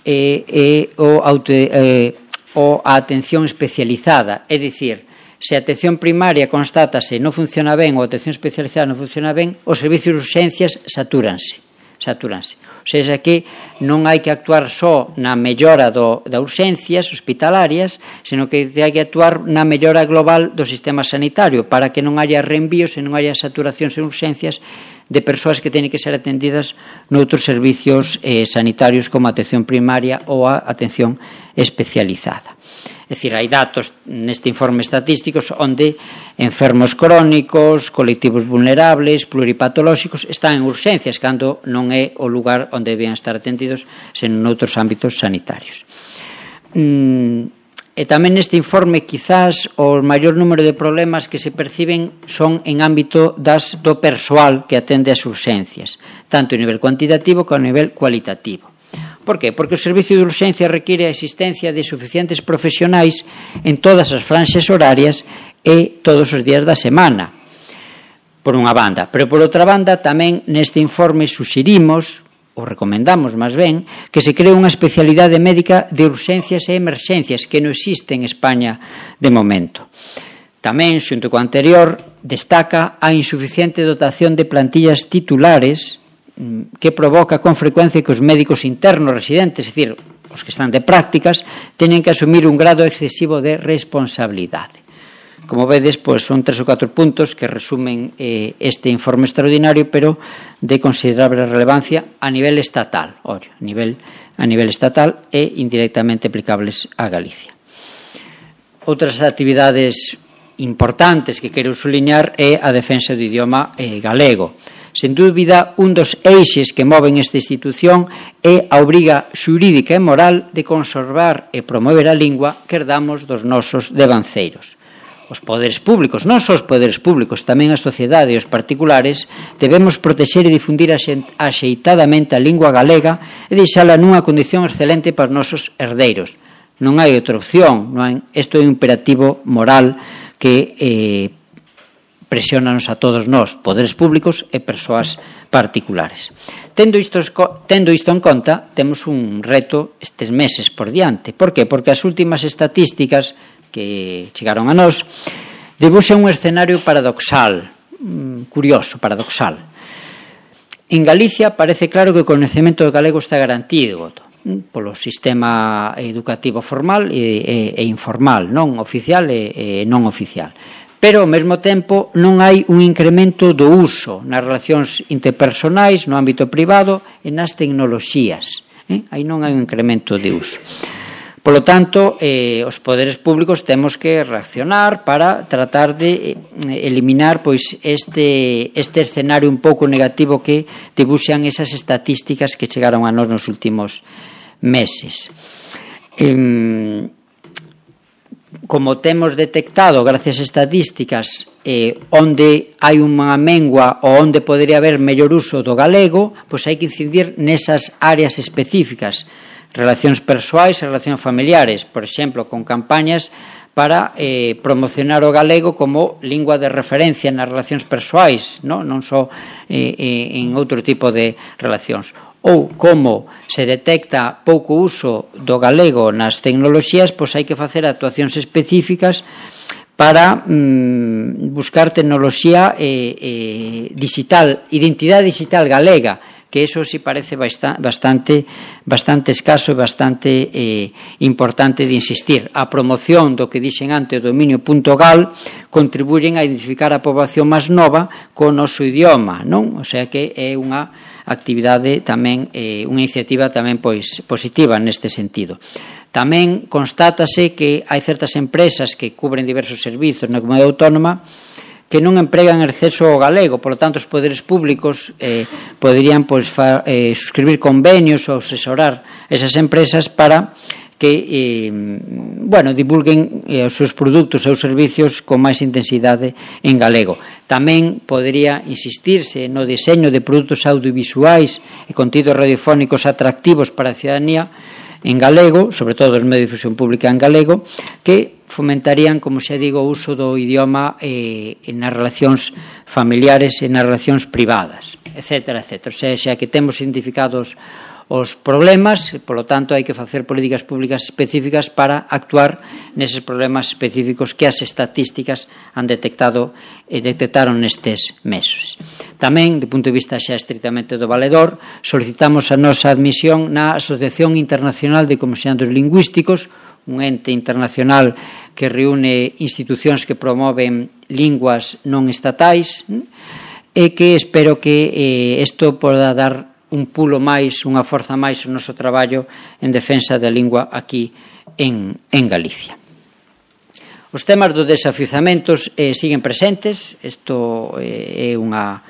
e eh, eh, o, auto, eh, o a atención especializada, é dicir, se a atención primaria constátase non funciona ben ou a atención especializada non funciona ben, os servicios de urxencias satúranse. satúranse. O sea, que non hai que actuar só na mellora do, da urxencias hospitalarias, senón que hai que actuar na mellora global do sistema sanitario para que non haya reenvíos e non haya saturacións en urxencias de persoas que teñen que ser atendidas noutros servicios eh, sanitarios como a atención primaria ou a atención especializada. É dicir, hai datos neste informe estatísticos onde enfermos crónicos, colectivos vulnerables, pluripatolóxicos están en urxencias cando non é o lugar onde debían estar atendidos senón noutros ámbitos sanitarios. Mm, e tamén neste informe quizás o maior número de problemas que se perciben son en ámbito das, do persoal que atende as urxencias, tanto a nivel cuantitativo como a nivel cualitativo. Por qué? Porque o servicio de urxencia require a existencia de suficientes profesionais en todas as franxas horarias e todos os días da semana, por unha banda. Pero por outra banda, tamén neste informe suxerimos, ou recomendamos máis ben, que se cree unha especialidade médica de urxencias e emerxencias que non existe en España de momento. Tamén, xunto co anterior, destaca a insuficiente dotación de plantillas titulares que provoca con frecuencia que os médicos internos residentes, é dicir, os que están de prácticas, teñen que asumir un grado excesivo de responsabilidade. Como vedes, pois, son tres ou catro puntos que resumen eh, este informe extraordinario, pero de considerable relevancia a nivel estatal, ora, a nivel, a nivel estatal e indirectamente aplicables a Galicia. Outras actividades importantes que quero suliñar é a defensa do idioma eh, galego. Sen dúbida, un dos eixes que moven esta institución é a obriga xurídica e moral de conservar e promover a lingua que herdamos dos nosos devanceiros. Os poderes públicos, non só os poderes públicos, tamén a sociedade e os particulares, debemos protexer e difundir axeitadamente a lingua galega e deixala nunha condición excelente para os nosos herdeiros. Non hai outra opción, non hai, isto é un imperativo moral que eh, presiónanos a todos nós, poderes públicos e persoas particulares. Tendo isto, tendo isto en conta, temos un reto estes meses por diante. Por que? Porque as últimas estatísticas que chegaron a nós debuxan un escenario paradoxal, curioso, paradoxal. En Galicia parece claro que o coñecemento do galego está garantido polo sistema educativo formal e, e, e informal, non oficial e, e non oficial. Pero, ao mesmo tempo, non hai un incremento do uso nas relacións interpersonais, no ámbito privado e nas tecnoloxías. Eh? Aí non hai un incremento de uso. Polo tanto, eh, os poderes públicos temos que reaccionar para tratar de eliminar pois, este, este escenario un pouco negativo que dibuxan esas estatísticas que chegaron a nós nos últimos meses. Eh, como temos detectado, gracias a estadísticas, eh, onde hai unha mengua ou onde podería haber mellor uso do galego, pois hai que incidir nesas áreas específicas, relacións persoais e relacións familiares, por exemplo, con campañas para eh, promocionar o galego como lingua de referencia nas relacións persoais, non, non só eh, eh, en outro tipo de relacións. Ou como se detecta pouco uso do galego nas tecnoloxías, pois hai que facer actuacións específicas para mm, buscar tecnoloxía eh, eh, digital, identidade digital galega, que eso sí parece bastante, bastante escaso e bastante eh, importante de insistir. A promoción do que dixen antes, o dominio.gal, contribuyen a identificar a poboación máis nova co noso idioma, non? O sea que é unha actividade tamén, eh, unha iniciativa tamén pois positiva neste sentido. Tamén constátase que hai certas empresas que cubren diversos servizos na comunidade autónoma que non empregan exceso ao galego, por lo tanto os poderes públicos eh, poderían pois, fa, eh, suscribir convenios ou asesorar esas empresas para que eh, bueno, divulguen eh, os seus produtos e os servicios con máis intensidade en galego. Tamén podería insistirse no diseño de produtos audiovisuais e contidos radiofónicos atractivos para a ciudadanía en galego, sobre todo os medios de difusión pública en galego, que fomentarían, como xa digo, o uso do idioma eh, nas relacións familiares e nas relacións privadas, etcétera, etcétera. O sea, xa que temos identificados os problemas, polo tanto, hai que facer políticas públicas específicas para actuar neses problemas específicos que as estatísticas han detectado e detectaron nestes meses. Tamén, do punto de vista xa estritamente do valedor, solicitamos a nosa admisión na Asociación Internacional de Comisionados Lingüísticos, un ente internacional que reúne institucións que promoven linguas non estatais e que espero que isto eh, poda dar un pulo máis, unha forza máis ao noso traballo en defensa da lingua aquí en, en Galicia. Os temas dos desafiuzamentos eh, siguen presentes, isto eh, é unha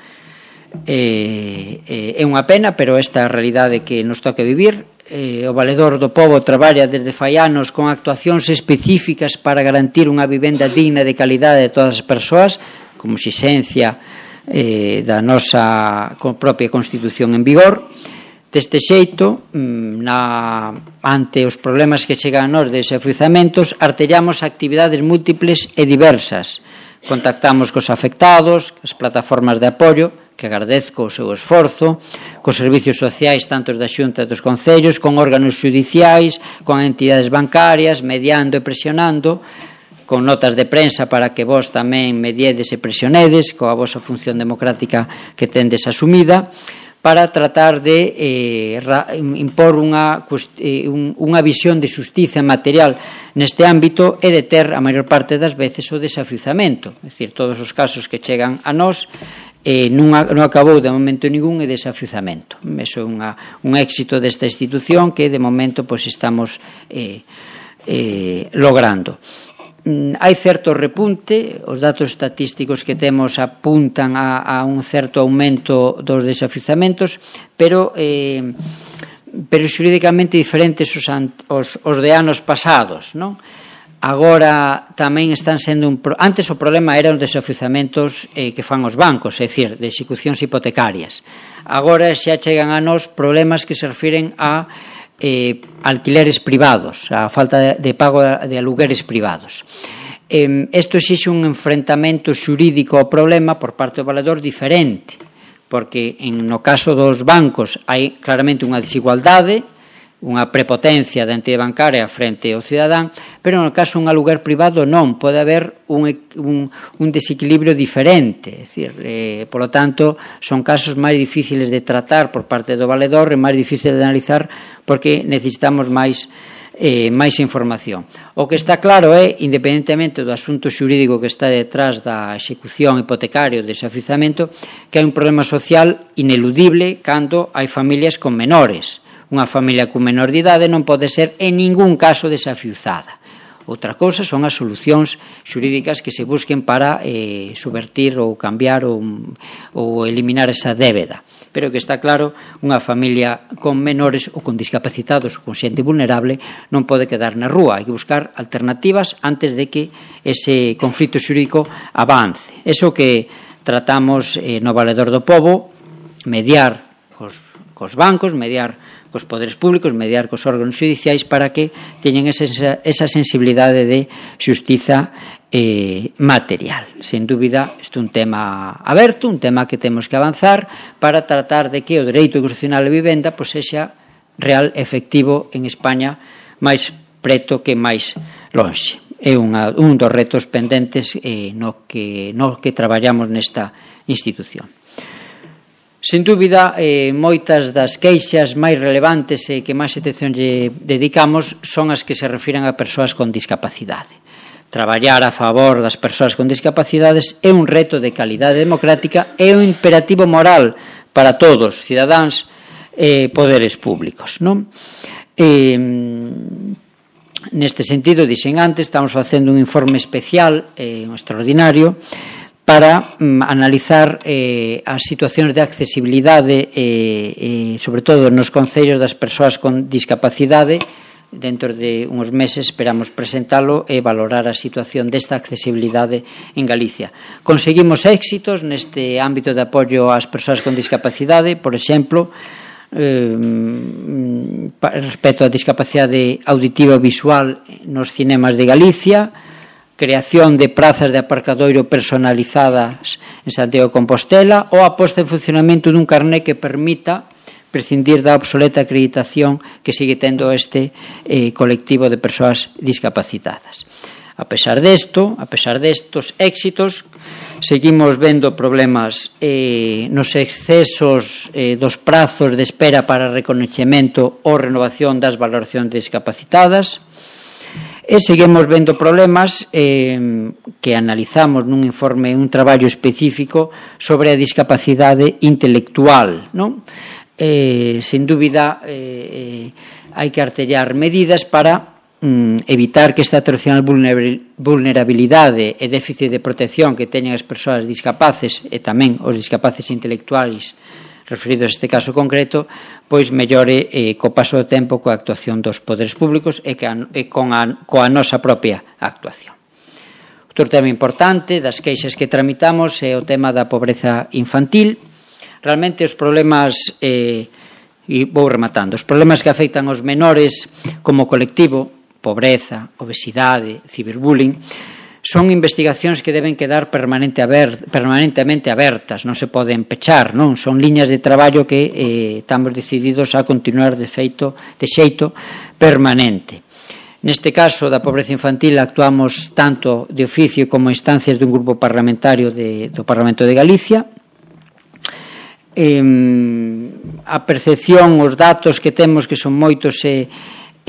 eh, é unha pena, pero esta é a realidade que nos toca vivir. Eh, o Valedor do Pobo traballa desde fai anos con actuacións específicas para garantir unha vivenda digna de calidade de todas as persoas, como exigencia eh, da nosa propia Constitución en vigor. Deste xeito, na, ante os problemas que chegan a nós de desafiuzamentos, artellamos actividades múltiples e diversas. Contactamos cos afectados, as plataformas de apoio, que agradezco o seu esforzo, cos servicios sociais tanto da Xunta e dos concellos, con órganos judiciais, con entidades bancarias, mediando e presionando, con notas de prensa para que vos tamén mediedes e presionedes, coa vosa función democrática que tendes asumida, para tratar de eh, ra, impor unha, eh, un, unha visión de xustiza material neste ámbito e de ter a maior parte das veces o desafiuzamento, é dicir, todos os casos que chegan a nós eh, non, non acabou de momento ningún e desafiuzamento. Eso é unha, un éxito desta institución que de momento pois, estamos eh, eh, logrando. Hai certo repunte, os datos estatísticos que temos apuntan a, a un certo aumento dos desafiuzamentos, pero eh, pero xurídicamente diferentes os, os, os de anos pasados, non? Agora tamén están sendo un pro... antes o problema eran os desafiuzamentos eh, que fan os bancos, é dicir, de execucións hipotecarias. Agora xa chegan a nós problemas que se refiren a Eh, alquileres privados, a falta de, de pago de alugueres privados. Eh, isto exixe un enfrentamento xurídico ao problema por parte do valedor diferente, porque en, no caso dos bancos hai claramente unha desigualdade, unha prepotencia da entidade bancaria frente ao cidadán, pero no caso un aluguer privado non, pode haber un, un, un desequilibrio diferente, é dicir, eh, polo tanto, son casos máis difíciles de tratar por parte do valedor e máis difíciles de analizar porque necesitamos máis eh, máis información. O que está claro é, independentemente do asunto xurídico que está detrás da execución hipotecaria ou desafiuzamento, que hai un problema social ineludible cando hai familias con menores. Unha familia con menor de idade non pode ser en ningún caso desafiuzada. Outra cousa son as solucións xurídicas que se busquen para eh, subvertir ou cambiar ou, ou eliminar esa débeda. Pero que está claro, unha familia con menores ou con discapacitados ou con xente vulnerable non pode quedar na rúa. Hai que buscar alternativas antes de que ese conflito xurídico avance. Eso que tratamos eh, no Valedor do Pobo, mediar cos, cos bancos, mediar cos poderes públicos, mediar cos órganos judiciais para que teñen esa, esa sensibilidade de xustiza eh, material. Sen dúbida, isto é un tema aberto, un tema que temos que avanzar para tratar de que o dereito constitucional de vivenda pois, sexa real, efectivo en España, máis preto que máis lonxe. É unha, un dos retos pendentes eh, no, que, no que traballamos nesta institución. Sen dúbida, eh, moitas das queixas máis relevantes e que máis atención lle dedicamos son as que se refiren a persoas con discapacidade. Traballar a favor das persoas con discapacidades é un reto de calidade democrática e un imperativo moral para todos, cidadáns e poderes públicos, non? Eh, neste sentido, dixen antes, estamos facendo un informe especial, eh, un extraordinario, para um, analizar eh, as situacións de accesibilidade eh, eh, sobre todo nos concellos das persoas con discapacidade. Dentro de uns meses esperamos presentalo e valorar a situación desta accesibilidade en Galicia. Conseguimos éxitos neste ámbito de apoio ás persoas con discapacidade, por exemplo, eh, respecto á discapacidade auditiva e visual nos cinemas de Galicia, creación de prazas de aparcadoiro personalizadas en Santiago de Compostela ou a posta en funcionamento dun carné que permita prescindir da obsoleta acreditación que sigue tendo este eh, colectivo de persoas discapacitadas. A pesar desto, a pesar destos éxitos, seguimos vendo problemas eh, nos excesos eh, dos prazos de espera para recoñecemento ou renovación das valoracións discapacitadas. E seguimos vendo problemas eh, que analizamos nun informe, un traballo específico sobre a discapacidade intelectual, non? Eh, sen dúbida, eh, hai que artellar medidas para mm, evitar que esta tradicional vulnerabilidade e déficit de protección que teñen as persoas discapaces e tamén os discapaces intelectuais referidos a este caso concreto, pois mellore eh, co paso do tempo coa actuación dos poderes públicos e, que a, e con a, coa nosa propia actuación. Outro tema importante das queixas que tramitamos é o tema da pobreza infantil. Realmente os problemas, eh, e vou rematando, os problemas que afectan aos menores como colectivo, pobreza, obesidade, ciberbullying, son investigacións que deben quedar permanente aber, permanentemente abertas, non se poden pechar, non? Son liñas de traballo que eh, estamos decididos a continuar de feito, de xeito permanente. Neste caso da pobreza infantil actuamos tanto de oficio como instancias dun grupo parlamentario de, do Parlamento de Galicia. Eh, a percepción, os datos que temos, que son moitos e,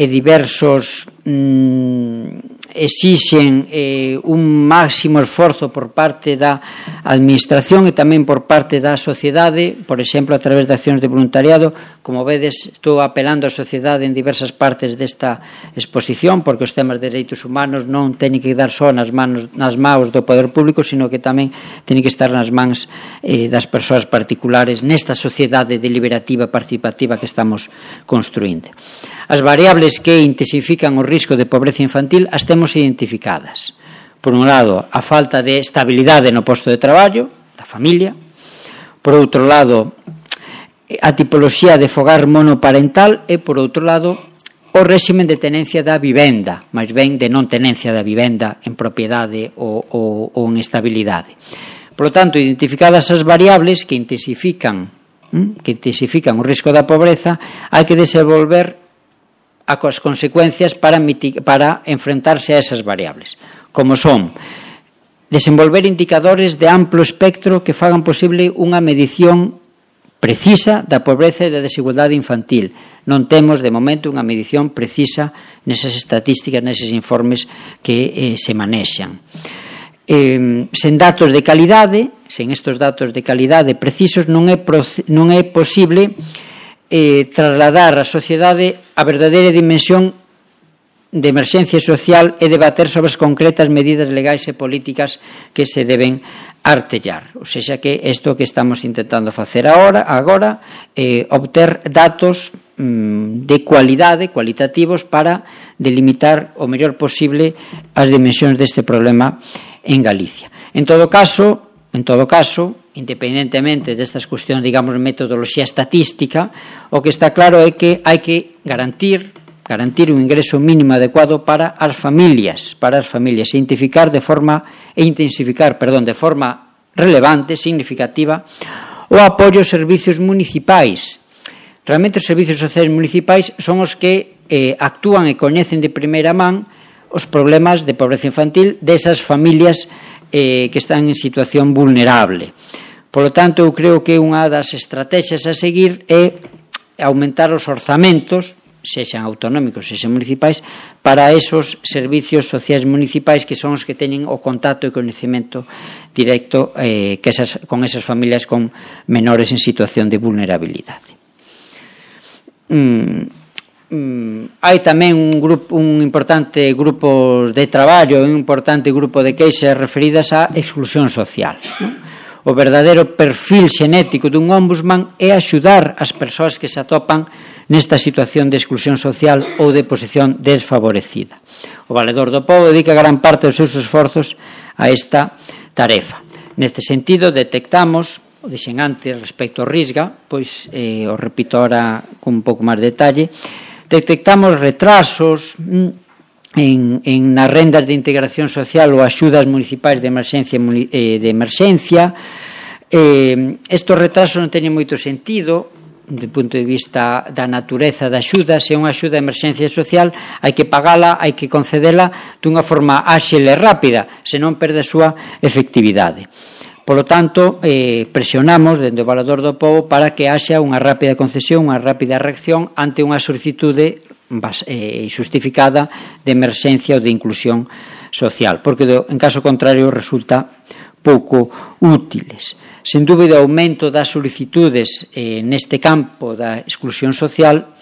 e diversos, mmm, exixen eh, un máximo esforzo por parte da administración e tamén por parte da sociedade, por exemplo, a través de accións de voluntariado. Como vedes, estou apelando á sociedade en diversas partes desta exposición, porque os temas de dereitos humanos non teñen que dar só nas manos, nas maus do poder público, sino que tamén teñen que estar nas mans eh, das persoas particulares nesta sociedade deliberativa participativa que estamos construindo. As variables que intensifican o risco de pobreza infantil as temos identificadas. Por un lado, a falta de estabilidade no posto de traballo da familia. Por outro lado, a tipoloxía de fogar monoparental e, por outro lado, o réximen de tenencia da vivenda, máis ben de non tenencia da vivenda en propiedade ou, ou, ou en estabilidade. Por lo tanto, identificadas as variables que intensifican, que intensifican o risco da pobreza, hai que desenvolver as consecuencias para, para enfrentarse a esas variables, como son desenvolver indicadores de amplo espectro que fagan posible unha medición precisa da pobreza e da desigualdade infantil. Non temos, de momento, unha medición precisa nesas estatísticas, neses informes que eh, se manexan. Eh, sen datos de calidade, sen estes datos de calidade precisos, non é, non é posible Eh, trasladar á sociedade a verdadeira dimensión de emerxencia social e debater sobre as concretas medidas legais e políticas que se deben artellar. Ou seja, que isto que estamos intentando facer agora, agora eh, obter datos mm, de cualidade, cualitativos, para delimitar o mellor posible as dimensións deste problema en Galicia. En todo caso, en todo caso, independentemente destas cuestións, digamos, metodoloxía estatística, o que está claro é que hai que garantir garantir un ingreso mínimo adecuado para as familias, para as familias, e identificar de forma e intensificar, perdón, de forma relevante, significativa, o apoio aos servicios municipais. Realmente os servicios sociais municipais son os que eh, actúan e coñecen de primeira man os problemas de pobreza infantil desas familias eh, que están en situación vulnerable. Por lo tanto, eu creo que unha das estrategias a seguir é aumentar os orzamentos, sexan autonómicos, sexan municipais, para esos servicios sociais municipais que son os que teñen o contacto e coñecemento directo eh, que esas, con esas familias con menores en situación de vulnerabilidade. Mm, mm, hai tamén un, grupo, un importante grupo de traballo, un importante grupo de queixas referidas á exclusión social, non? O verdadeiro perfil xenético dun ombudsman é axudar as persoas que se atopan nesta situación de exclusión social ou de posición desfavorecida. O Valedor do Pobo dedica gran parte dos seus esforzos a esta tarefa. Neste sentido, detectamos, o dixen antes respecto ao Risga, pois eh, o repito ahora con un pouco máis de detalle, detectamos retrasos En, en nas rendas de integración social ou axudas municipais de emerxencia, eh, de emerxencia. Eh, estos retrasos non teñen moito sentido do punto de vista da natureza da axuda. Se é unha axuda de emerxencia social, hai que pagala, hai que concedela dunha forma áxil e rápida, senón perde a súa efectividade. Por lo tanto, eh, presionamos dende o Valedor do Pobo para que haxa unha rápida concesión, unha rápida reacción ante unha solicitude xustificada de emerxencia ou de inclusión social, porque en caso contrario resulta pouco útiles. Sen dúbida, o aumento das solicitudes eh, neste campo da exclusión social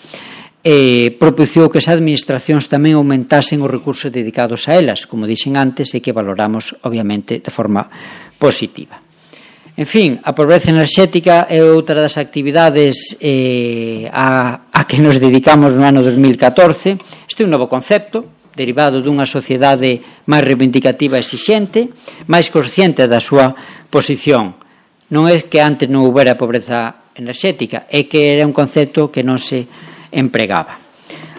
eh, propiciou que as administracións tamén aumentasen os recursos dedicados a elas, como dixen antes, e que valoramos, obviamente, de forma positiva. En fin, a pobreza enerxética é outra das actividades eh, a, a que nos dedicamos no ano dos mil catorce. Este é un novo concepto, derivado dunha sociedade máis reivindicativa e exixente, máis consciente da súa posición. Non é que antes non houbera pobreza enerxética, é que era un concepto que non se empregaba.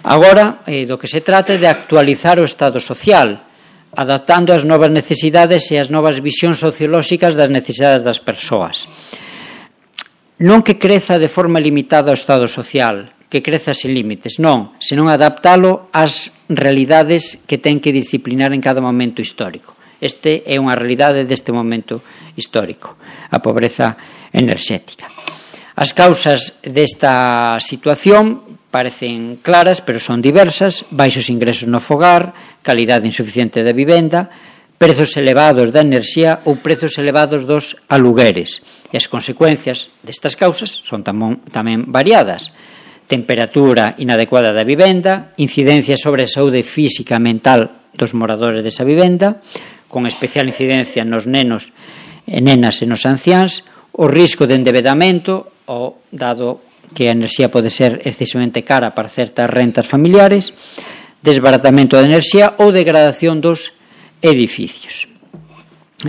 Agora, eh, do que se trata é de actualizar o estado social, adaptando as novas necesidades e as novas visións sociolóxicas das necesidades das persoas. Non que creza de forma limitada o estado social, que creza sen límites, non, senón adaptalo ás realidades que ten que disciplinar en cada momento histórico. Este é unha realidade deste momento histórico, a pobreza enerxética. As causas desta situación parecen claras, pero son diversas: baixos ingresos no fogar, calidade insuficiente da vivenda, prezos elevados da enerxía ou prezos elevados dos alugueres. E as consecuencias destas causas son tamén, tamén variadas: temperatura inadecuada da vivenda, incidencia sobre a saúde física e mental dos moradores desa vivenda, con especial incidencia nos nenos e nenas e nos anciáns, o risco de endebedamento, o dado que a enerxía pode ser excesivamente cara para certas rentas familiares, desbaratamento da enerxía ou degradación dos edificios.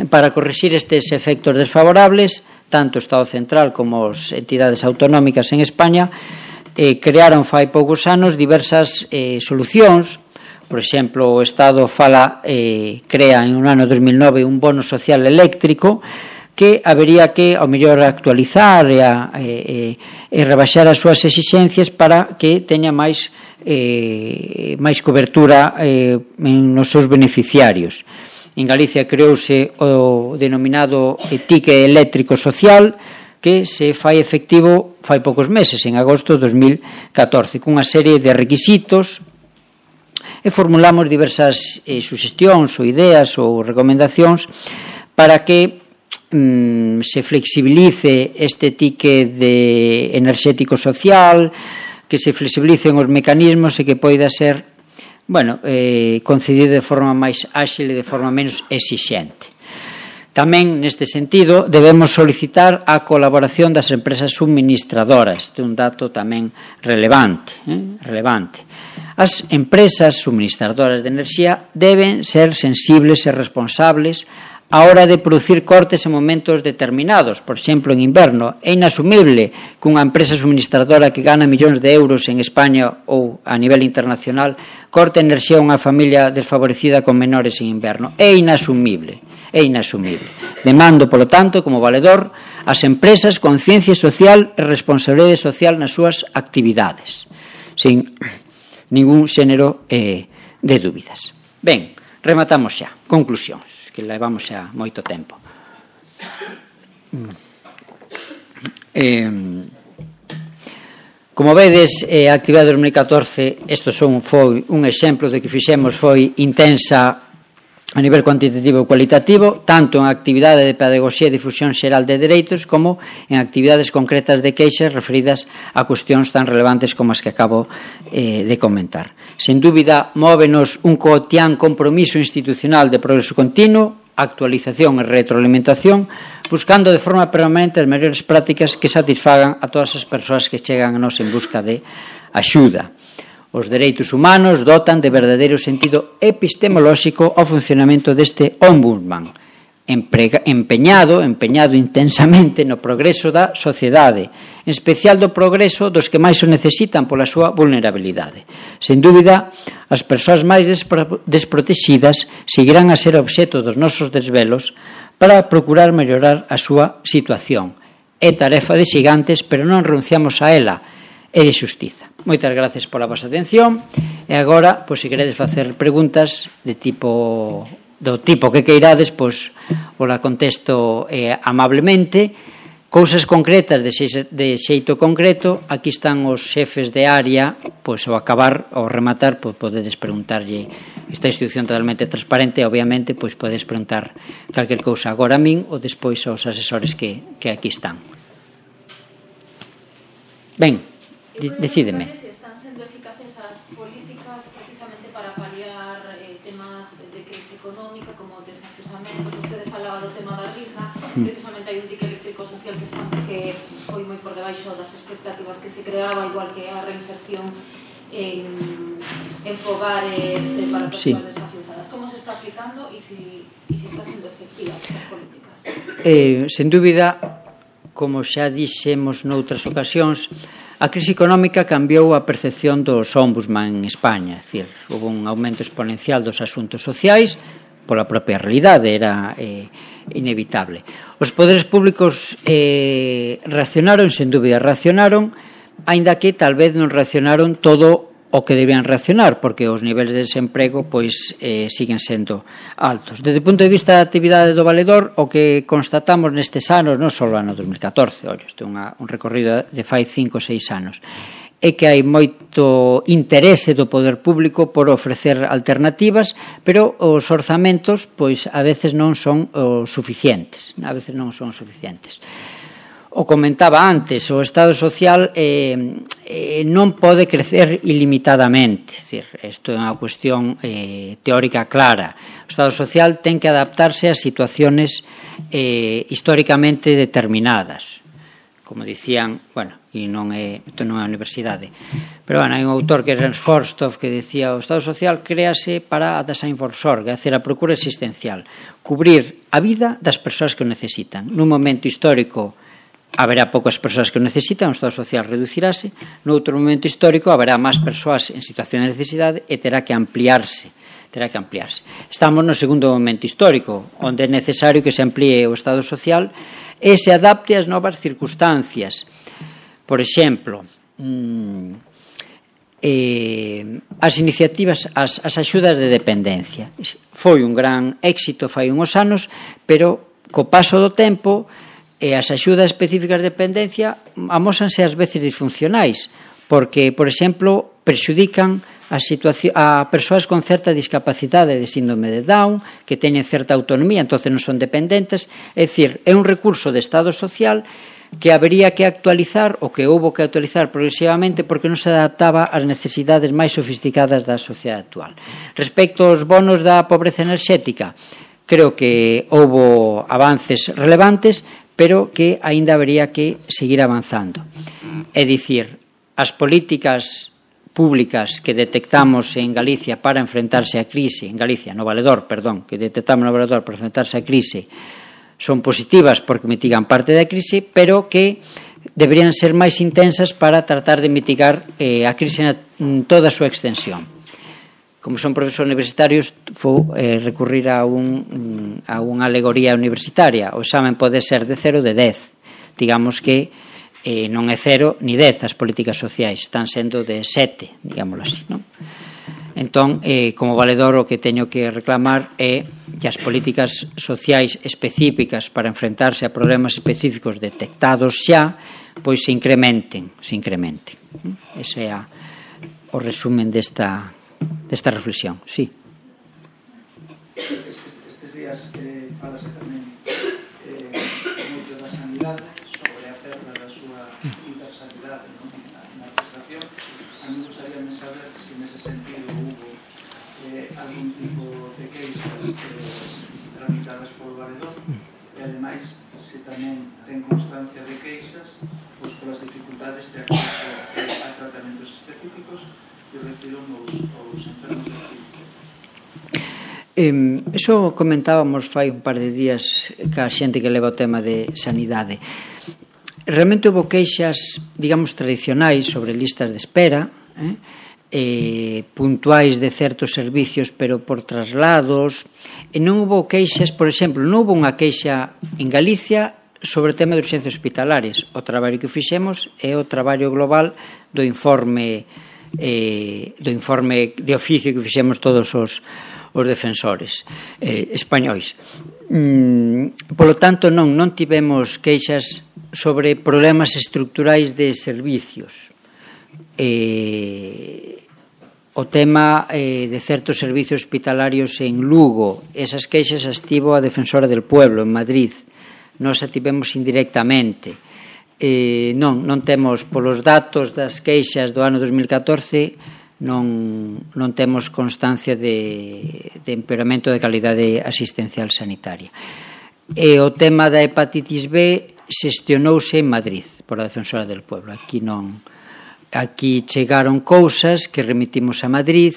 Para corrixir estes efectos desfavorables, tanto o Estado central como as entidades autonómicas en España eh, crearon fai poucos anos diversas eh, solucións. Por exemplo, o Estado fala, eh, crea en un ano dos mil nove un bono social eléctrico que habería que, ao mellor, actualizar e, a, e, e rebaixar as súas exixencias para que teña máis, eh, máis cobertura eh, nos seus beneficiarios. En Galicia creouse o denominado ticket eléctrico social, que se fai efectivo fai poucos meses, en agosto de dos mil catorce, cunha serie de requisitos, e formulamos diversas eh, suxestións ou ideas ou recomendacións para que se flexibilice este ticket de enerxético social, que se flexibilicen os mecanismos e que poida ser, bueno, eh, concedido de forma máis áxil e de forma menos exixente. Tamén, neste sentido, debemos solicitar a colaboración das empresas suministradoras. Este é un dato tamén relevante, eh? relevante. As empresas suministradoras de enerxía deben ser sensibles e responsables a hora de producir cortes en momentos determinados. Por exemplo, en inverno, é inasumible que unha empresa suministradora que gana millóns de euros en España ou a nivel internacional corte enerxía a unha familia desfavorecida con menores en inverno. É inasumible, é inasumible. Demando, polo tanto, como valedor, as empresas conciencia social e responsabilidade social nas súas actividades, sin ningún xénero eh, de dúbidas. Ben, rematamos xa. Conclusións, que levamos xa moito tempo. Eh, como vedes, a actividade de dos mil catorce, isto son, foi un exemplo de que fixemos, foi intensa a nivel cuantitativo e cualitativo, tanto en actividade de pedagogía e difusión xeral de dereitos como en actividades concretas de queixas referidas a cuestións tan relevantes como as que acabo eh, de comentar. Sen dúbida, móvenos un cotián compromiso institucional de progreso continuo, actualización e retroalimentación, buscando de forma permanente as mellores prácticas que satisfagan a todas as persoas que chegan a nos en busca de axuda. Os dereitos humanos dotan de verdadeiro sentido epistemolóxico ao funcionamento deste ombudsman, empeñado, empeñado intensamente no progreso da sociedade, en especial do progreso dos que máis o necesitan pola súa vulnerabilidade. Sen dúbida, as persoas máis desprotexidas seguirán a ser obxecto dos nosos desvelos para procurar mellorar a súa situación. É tarefa de xigantes, pero non renunciamos a ela, é de xustiza. Moitas gracias pola vosa atención e agora, pois, se queredes facer preguntas de tipo do tipo que queirades, pois vos la contesto eh, amablemente. Cousas concretas de, xe, de xeito concreto, aquí están os xefes de área, pois ao acabar, ao rematar, pois podedes preguntarlle. Esta institución totalmente transparente, obviamente, pois podedes preguntar calquer cousa agora a min ou despois aos asesores que, que aquí están. Ben, decídeme. Si están sendo eficaces as políticas precisamente para paliar eh, temas de crise económica como desafiuzamento. Usted falaba do tema da risa, precisamente hai un ticket eléctrico social que está que foi moi por debaixo das expectativas que se creaba, igual que a reinserción en, en fogares eh, para persoas sí. desafiuzadas. Como se está aplicando e si, e si está sendo efectivas as políticas? Eh, sen dúbida, como xa dixemos noutras ocasións, a crise económica cambiou a percepción dos ombudsman en España, é dicir, houve un aumento exponencial dos asuntos sociais pola propia realidade, era eh, inevitable. Os poderes públicos eh, reaccionaron, sen dúbida reaccionaron, aínda que tal vez non reaccionaron todo o que debían reaccionar, porque os niveis de desemprego pois eh, siguen sendo altos. Desde o punto de vista da actividade do valedor, o que constatamos nestes anos, non só no ano dos mil catorce, ollo, este é unha, un recorrido de fai cinco ou seis anos, é que hai moito interese do poder público por ofrecer alternativas, pero os orzamentos pois a veces non son o suficientes, a veces non son suficientes. O comentaba antes, o Estado social eh, eh, non pode crecer ilimitadamente. É dicir, isto é unha cuestión eh, teórica clara. O Estado social ten que adaptarse a situaciones eh, históricamente determinadas. Como dicían, bueno, e non é, isto non é a universidade, pero bueno, hai un autor que é Ernst Forsthoff que decía o Estado social créase para a Daseinvorsorge, é dicir, a procura existencial, cubrir a vida das persoas que o necesitan. Nun momento histórico haberá poucas persoas que o necesitan, o Estado social reducirase, noutro momento histórico haberá máis persoas en situación de necesidade e terá que ampliarse, terá que ampliarse. Estamos no segundo momento histórico, onde é necesario que se amplíe o Estado social e se adapte ás novas circunstancias. Por exemplo, mmm, eh, as iniciativas, as, as axudas de dependencia. Foi un gran éxito fai uns anos, pero co paso do tempo e as axudas específicas de dependencia amósanse ás veces disfuncionais, porque, por exemplo, perxudican a, a persoas con certa discapacidade de síndrome de Down, que teñen certa autonomía, entonces non son dependentes. É dicir, é un recurso de Estado social que habería que actualizar, ou que houbo que actualizar progresivamente, porque non se adaptaba ás necesidades máis sofisticadas da sociedade actual. Respecto aos bonos da pobreza enerxética, creo que houbo avances relevantes, pero que aínda habería que seguir avanzando. É dicir, as políticas públicas que detectamos en Galicia para enfrentarse á crise, en Galicia, no Valedor, perdón, que detectamos no Valedor para enfrentarse á crise, son positivas porque mitigan parte da crise, pero que deberían ser máis intensas para tratar de mitigar eh, a crise en toda a súa extensión. Como son profesores universitarios, vou eh, recurrir a, un, a unha alegoría universitaria. O examen pode ser de cero ou de dez. Digamos que eh, non é cero ni dez as políticas sociais, están sendo de sete, digámoslo así, non? Entón, eh, como valedor, o que teño que reclamar é que as políticas sociais específicas para enfrentarse a problemas específicos detectados xa, pois se incrementen, se incrementen. Ese é a, o resumen desta, desta reflexión. Sí. Estes, estes días eh, falase tamén eh, moito da sanidade sobre a perda da súa universalidade, non? Na, na administración. A mí gustaríame saber se nese sentido hubo eh, algún tipo de queixas eh, tramitadas por valedor e ademais se tamén ten constancia de queixas pois polas dificultades de acceso eh, a tratamentos específicos que reciben os, os enfermos de espírito. Eh, eso comentábamos fai un par de días ca xente que leva o tema de sanidade. Realmente houve queixas, digamos, tradicionais sobre listas de espera, eh, eh, puntuais de certos servicios, pero por traslados, e non houve queixas, por exemplo, non houve unha queixa en Galicia sobre o tema de urxencias hospitalarias. O traballo que fixemos é o traballo global do informe eh, do informe de oficio que fixemos todos os, os defensores eh, españois. Mm, polo tanto, non, non tivemos queixas sobre problemas estructurais de servicios. Eh, o tema eh, de certos servicios hospitalarios en Lugo, esas queixas as tivo a Defensora del Pueblo en Madrid, nós a tivemos indirectamente. Eh, non, non temos, polos datos das queixas do ano dos mil catorce, non, non temos constancia de, de empeoramento de calidade asistencial sanitaria. E o tema da hepatitis B xestionouse en Madrid por a Defensora del Pueblo. Aquí non, aquí chegaron cousas que remitimos a Madrid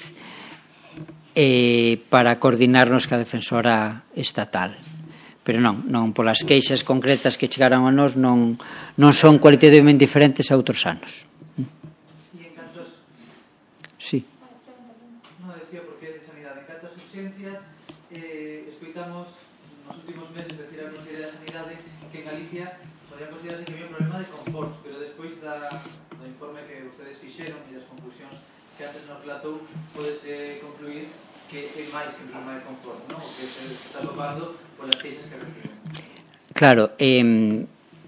eh, para coordinarnos ca Defensora estatal. Pero non, non polas queixas concretas que chegaron a nós non, non son cualitativamente diferentes a outros anos. E en cantos... Sí. Non decía porque de sanidade. En cantas urxencias eh, escoitamos nos últimos meses decir a Consellería de Sanidade que en Galicia podía considerarse que había un problema de confort, pero despois da, do informe que ustedes fixeron e das conclusións que antes nos relatou, podese concluir que é máis que un problema de confort, non? O que se está topando polas queixas que reciben. Claro, eh,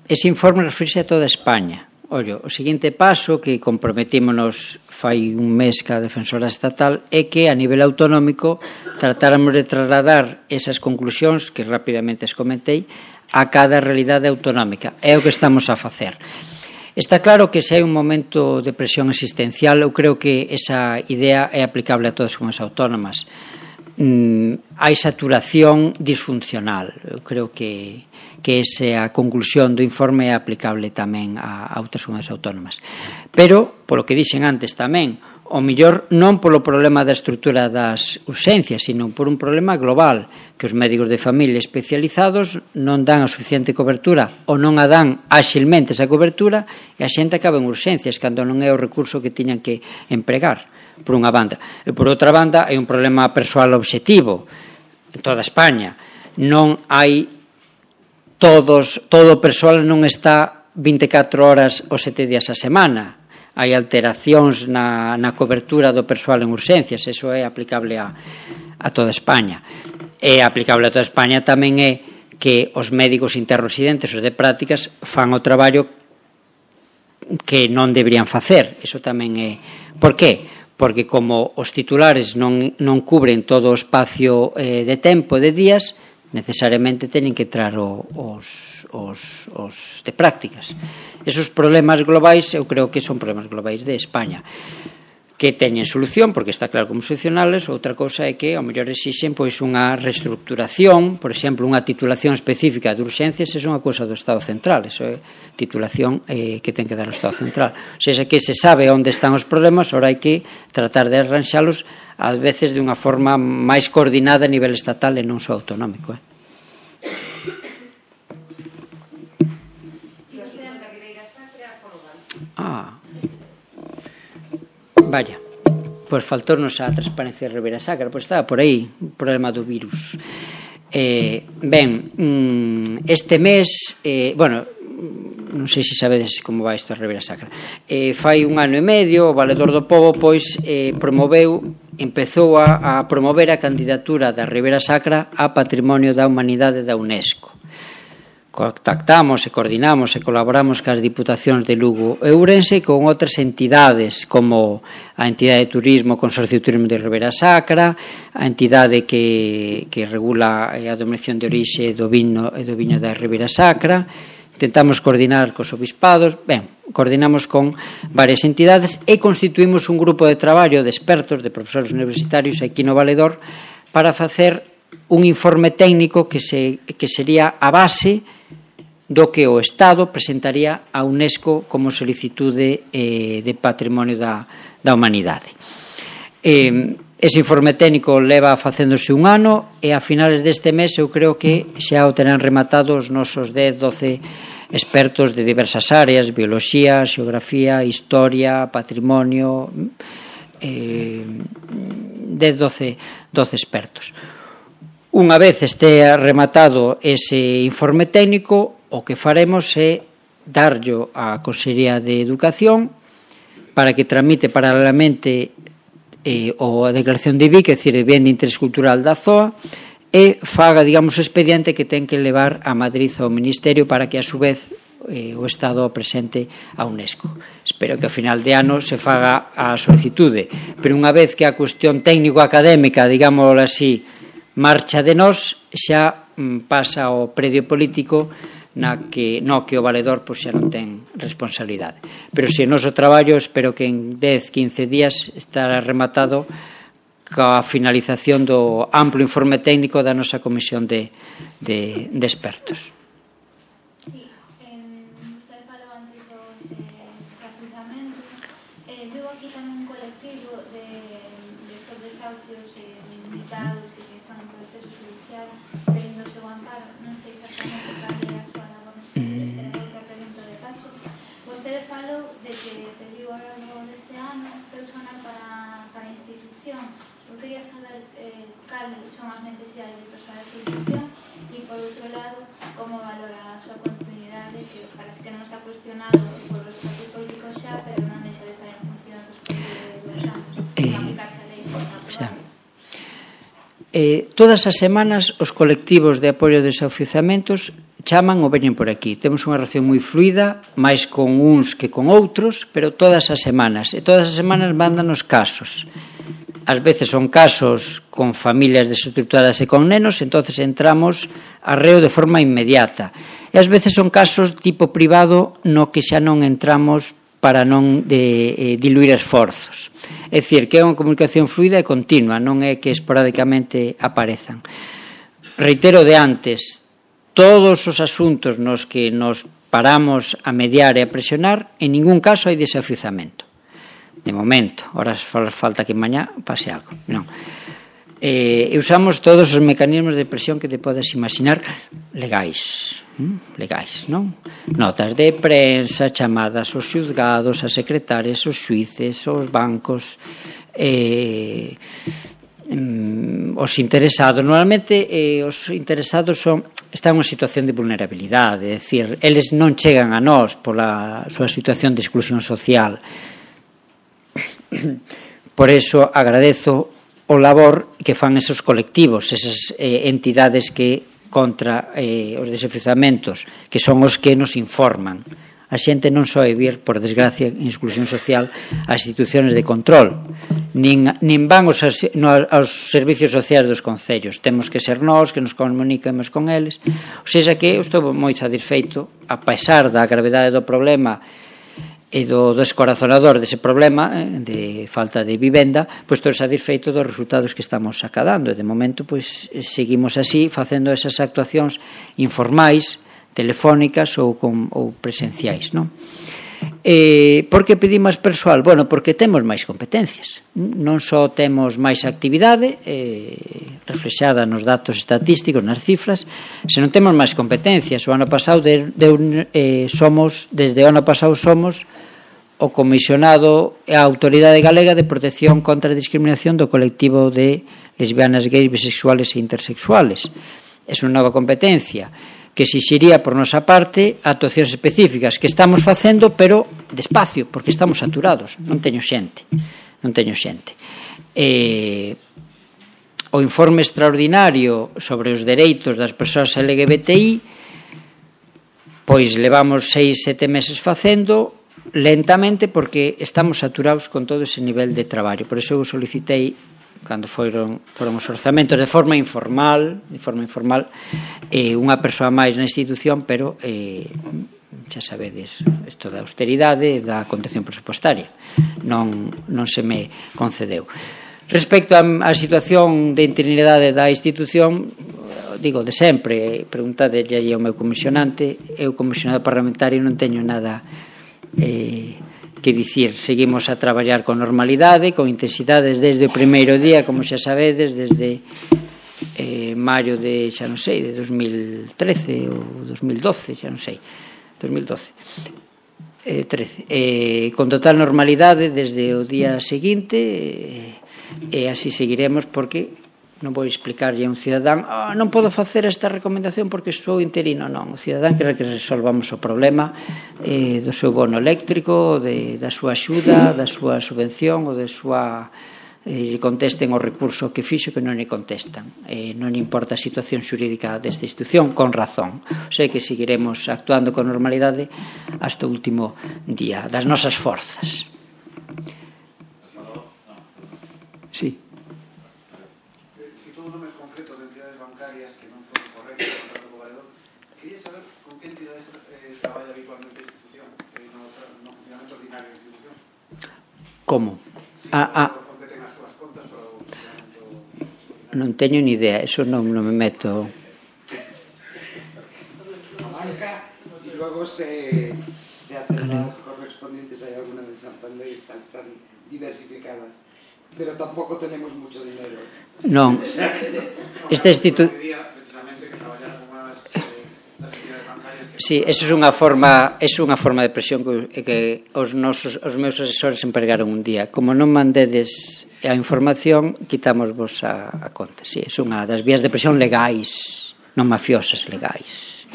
ese informe refirse a toda España. Ollo, o seguinte paso que comprometímonos fai un mes ca defensora estatal é que a nivel autonómico tratáramos de trasladar esas conclusións que rapidamente as comentei a cada realidade autonómica. É o que estamos a facer. Está claro que se hai un momento de presión existencial, eu creo que esa idea é aplicable a todas as comunidades autónomas. Mm, hai saturación disfuncional. Eu creo que que esa conclusión do informe é aplicable tamén a, a outras comunidades autónomas. Pero, polo que dixen antes tamén, o mellor non polo problema da estrutura das urxencias, sino por un problema global, que os médicos de familia especializados non dan a suficiente cobertura ou non a dan áxilmente esa cobertura e a xente acaba en urxencias cando non é o recurso que tiñan que empregar, por unha banda. E por outra banda, hai un problema persoal obxectivo en toda España. Non hai todos, todo o persoal non está vinte e catro horas ou sete días a semana. Hai alteracións na, na cobertura do persoal en urxencias, eso é aplicable a, a toda España. É aplicable a toda España tamén é que os médicos interresidentes, os de prácticas, fan o traballo que non deberían facer. Eso tamén é... Por qué? Porque como os titulares non, non cubren todo o espacio eh, de tempo, de días, necesariamente teñen que entrar o, os, os, os de prácticas. Esos problemas globais, eu creo que son problemas globais de España, que teñen solución, porque está claro como solucionales. Outra cousa é que, ao mellor, exixen pois unha reestructuración, por exemplo, unha titulación específica de urxencias, é unha cousa do Estado Central, eso é titulación eh, que ten que dar o Estado Central. O sea, que se sabe onde están os problemas, ora hai que tratar de arranxalos ás veces de unha forma máis coordinada a nivel estatal e non só autonómico. Eh? Ah, vaya, pois faltornos a transparencia de Ribeira Sacra, pois estaba por aí o problema do virus. Eh, ben, este mes, eh, bueno, non sei se sabedes como vai isto a Ribeira Sacra. Eh, fai un ano e medio, o Valedor do Pobo pois eh, promoveu, empezou a, a promover a candidatura da Ribeira Sacra a Patrimonio da Humanidade da UNESCO. Contactamos e coordinamos e colaboramos cas Diputacións de Lugo e Ourense con outras entidades como a entidade de turismo, o Consorcio de Turismo de Ribeira Sacra, a entidade que, que regula a denominación de orixe do vino e do viño da Ribeira Sacra. Intentamos coordinar cos obispados, ben, coordinamos con varias entidades e constituímos un grupo de traballo de expertos, de profesores universitarios aquí no Valedor para facer un informe técnico que, se, que sería a base do que o Estado presentaría a UNESCO como solicitude eh, de patrimonio da, da humanidade. Eh, ese informe técnico leva facéndose un ano e a finales deste mes eu creo que xa o terán rematado os nosos dez, doce expertos de diversas áreas, bioloxía, xeografía, historia, patrimonio, eh, dez, doce, doce expertos. Unha vez este rematado ese informe técnico, o que faremos é darllo á Consellería de Educación para que tramite paralelamente eh, o a declaración de I B I, que é dicir, bien de interés cultural da Z O A, e faga, digamos, o expediente que ten que levar a Madrid ao Ministerio para que, a su vez, eh, o Estado o presente a UNESCO. Espero que ao final de ano se faga a solicitude, pero unha vez que a cuestión técnico-académica, digámoslo así, marcha de nós, xa mm, pasa ao predio político na que, no que o valedor pois, xa non ten responsabilidade. Pero se o noso traballo, espero que en dez, quince días estará rematado coa finalización do amplo informe técnico da nosa comisión de, de, de expertos. Sí, eh, usted falou antes dos eh, desafiuzamentos. Eh, veo aquí tamén un colectivo de, de estos desahucios eh, limitados e que están en proceso judicial pedindo o seu amparo. Non sei exactamente cal é a súa labor neste pero outra pregunta de paso. Vostede falou de que pediu ao longo deste ano personal para, para a institución. Eu quería saber eh, cales son as necesidades de personal de institución E, por outro lado, como valora a súa continuidade, que parece que non está cuestionado por os partidos políticos xa, pero non deixa de estar en función dos políticos anos, eh, aplicarse a lei aprobada. Eh, todas as semanas os colectivos de apoio de desafiuzamentos chaman ou veñen por aquí. Temos unha relación moi fluida, máis con uns que con outros, pero todas as semanas. E todas as semanas mandan os casos. Ás veces son casos con familias desestructuradas e con nenos, entonces entramos a reo de forma inmediata. E ás veces son casos tipo privado no que xa non entramos para non de, eh, diluir esforzos. É dicir, que é unha comunicación fluida e continua, non é que esporádicamente aparezan. Reitero de antes, todos os asuntos nos que nos paramos a mediar e a presionar, en ningún caso hai desafiuzamento. De momento, ahora falta que mañá pase algo. Non. Eh, usamos todos os mecanismos de presión que te podes imaginar legais. legais, non? Notas de prensa, chamadas aos xuzgados, as secretarias, os xuíces, os bancos, eh, os interesados. Normalmente eh, os interesados son están en unha situación de vulnerabilidade, é dicir, eles non chegan a nós pola súa situación de exclusión social. Por eso agradezo o labor que fan esos colectivos, esas eh, entidades que contra eh, os desafiuzamentos, que son os que nos informan. A xente non só é vir, por desgracia, en exclusión social, ás institucións de control, nin, nin van aos, no, aos servicios sociais dos concellos. Temos que ser nós, que nos comuniquemos con eles. O sea, que eu estou moi satisfeito, a pesar da gravedade do problema e do descorazonador dese problema de falta de vivenda, pois estou satisfeito dos resultados que estamos acadando e de momento pois seguimos así facendo esas actuacións informais, telefónicas ou, con, ou presenciais, non? Eh, por que pedimos persoal? Bueno, porque temos máis competencias, non só temos máis actividade eh, reflexada nos datos estatísticos, nas cifras, senón temos máis competencias. O ano pasado de, de, eh, somos, desde o ano pasado somos o comisionado e a Autoridade Galega de Protección contra a Discriminación do colectivo de lesbianas, gays, bisexuales e intersexuales. É unha nova competencia que exixiría por nosa parte actuacións específicas que estamos facendo, pero despacio, porque estamos saturados, non teño xente, non teño xente. Eh, o informe extraordinario sobre os dereitos das persoas L G B T I, pois levamos seis, sete meses facendo, lentamente, porque estamos saturados con todo ese nivel de traballo. Por iso eu solicitei, cando foron, foron os orzamentos, de forma informal, de forma informal, eh, unha persoa máis na institución, pero eh, xa sabedes, isto da austeridade e da contención presupostaria. Non, non se me concedeu. Respecto á, á situación de interinidade da institución, digo de sempre, preguntadelle aí ao meu comisionante, eu comisionado parlamentario non teño nada eh, que dicir. Seguimos a traballar con normalidade, con intensidade desde o primeiro día, como xa sabedes, desde eh, maio de, xa non sei, de dos mil trece ou dos mil doce, xa non sei, dos mil doce, eh, trece, eh, con total normalidade desde o día seguinte, eh, e así seguiremos, porque non vou explicarlle a un cidadán oh, non podo facer esta recomendación porque sou interino. Non, o cidadán quere que resolvamos o problema eh, do seu bono eléctrico, de, da súa axuda, da súa subvención ou da súa eh, contesten o recurso que fixo, que non lle contestan. Eh, non importa a situación xurídica desta institución, con razón. O sea que seguiremos actuando con normalidade hasta o último día das nosas forzas. Sí. Como? Ah, ah. Non teño ni idea, eso non, non me meto. A banca, e logo se, se hacen las correspondientes, hai alguna en Santander, están, están diversificadas, pero tampouco tenemos mucho dinero. Non, esta institución... Sí, eso é unha forma, é unha forma de presión que, que os nosos os meus asesores empregaron un día. Como non mandedes a información, quitámosvos a, a conta. Sí, é unha das vías de presión legais, non mafiosas, legais.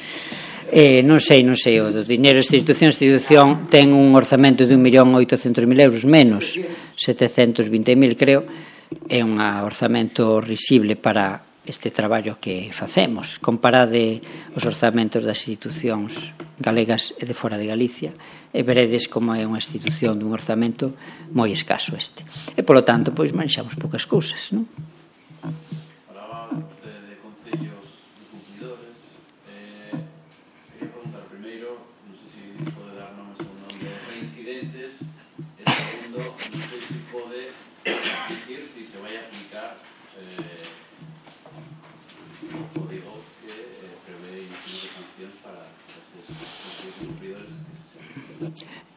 Eh, non sei, non sei, o do dinero esta institución, esta institución ten un orzamento de un millón oitocentos mil euros menos, setecentos vinte mil creo, é un orzamento risible para este traballo que facemos. Comparade os orzamentos das institucións galegas e de fora de Galicia e veredes como é unha institución dun orzamento moi escaso este. E, polo tanto, pois manxamos poucas cousas, non?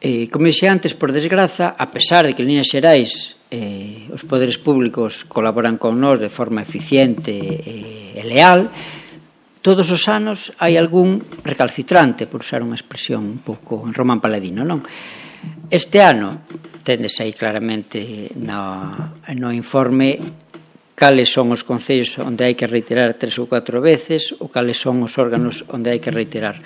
Eh, como dixi antes, por desgraza, a pesar de que en líneas xerais eh, os poderes públicos colaboran con nós de forma eficiente e, e leal, todos os anos hai algún recalcitrante, por usar unha expresión un pouco en román paladino, non? Este ano, tendes aí claramente no, no informe cales son os concellos onde hai que reiterar tres ou catro veces ou cales son os órganos onde hai que reiterar.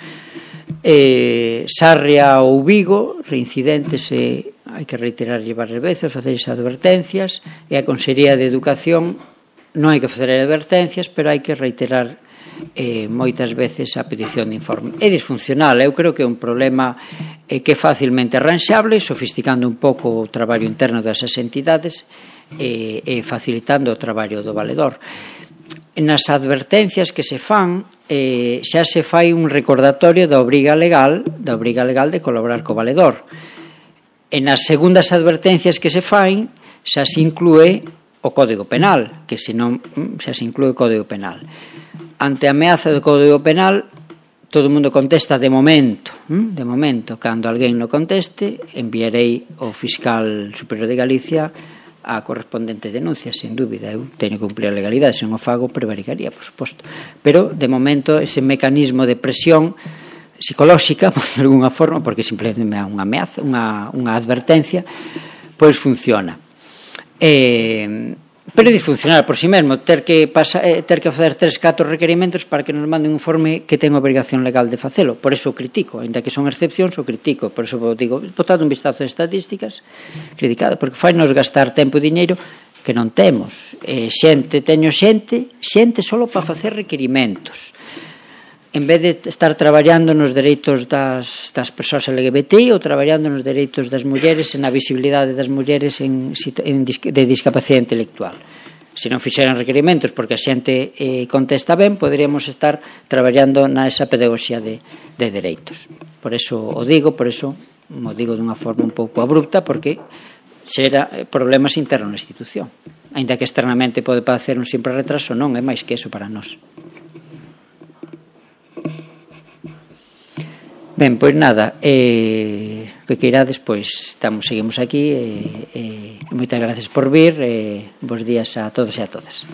Eh, Sarria ou Vigo, reincidentes e hai que reiterar varias veces, facer esas advertencias, e a Consellería de Educación non hai que facer advertencias, pero hai que reiterar eh, moitas veces a petición de informe. É disfuncional, eu creo que é un problema eh, que é facilmente arranxable, sofisticando un pouco o traballo interno desas entidades e, e facilitando o traballo do valedor. Nas advertencias que se fan eh, xa se fai un recordatorio da obriga legal da obriga legal de colaborar co valedor. E nas segundas advertencias que se fain xa se inclúe o Código Penal, que senón xa se inclúe o Código Penal. Ante a ameaza do Código Penal, todo o mundo contesta de momento, de momento. Cando alguén non conteste, enviarei ao Fiscal Superior de Galicia a correspondente denuncia, sen dúbida. Eu teño que cumplir a legalidade, se non o fago prevaricaría, por suposto, pero de momento ese mecanismo de presión psicolóxica, por de alguna forma, porque simplemente é unha ameaza, unha, unha advertencia, pois funciona. Eh, pero é disfuncional por si mesmo, ter que pasa, eh, ter que facer tres, catro requerimentos para que nos manden un informe que ten obrigación legal de facelo. Por eso o critico, ainda que son excepcións, o critico. Por eso digo, botado un vistazo de estatísticas, criticado, porque fai nos gastar tempo e diñeiro que non temos. Eh, xente, teño xente, xente só para facer requerimentos. En vez de estar traballando nos dereitos das, das persoas L G B T I ou traballando nos dereitos das mulleres e na visibilidade das mulleres en, en, de discapacidade intelectual. Se non fixeran requerimentos porque a xente eh, contesta ben, poderíamos estar traballando na esa pedagogía de, de dereitos. Por eso o digo, por eso o digo dunha forma un pouco abrupta, porque xera problemas internos na institución. Ainda que externamente pode parecer un simple retraso, non é máis que eso para nós. Ben, pois nada, eh, que queirades, pois estamos, seguimos aquí, e eh, eh, moitas gracias por vir, e eh, bons días a todos e a todas.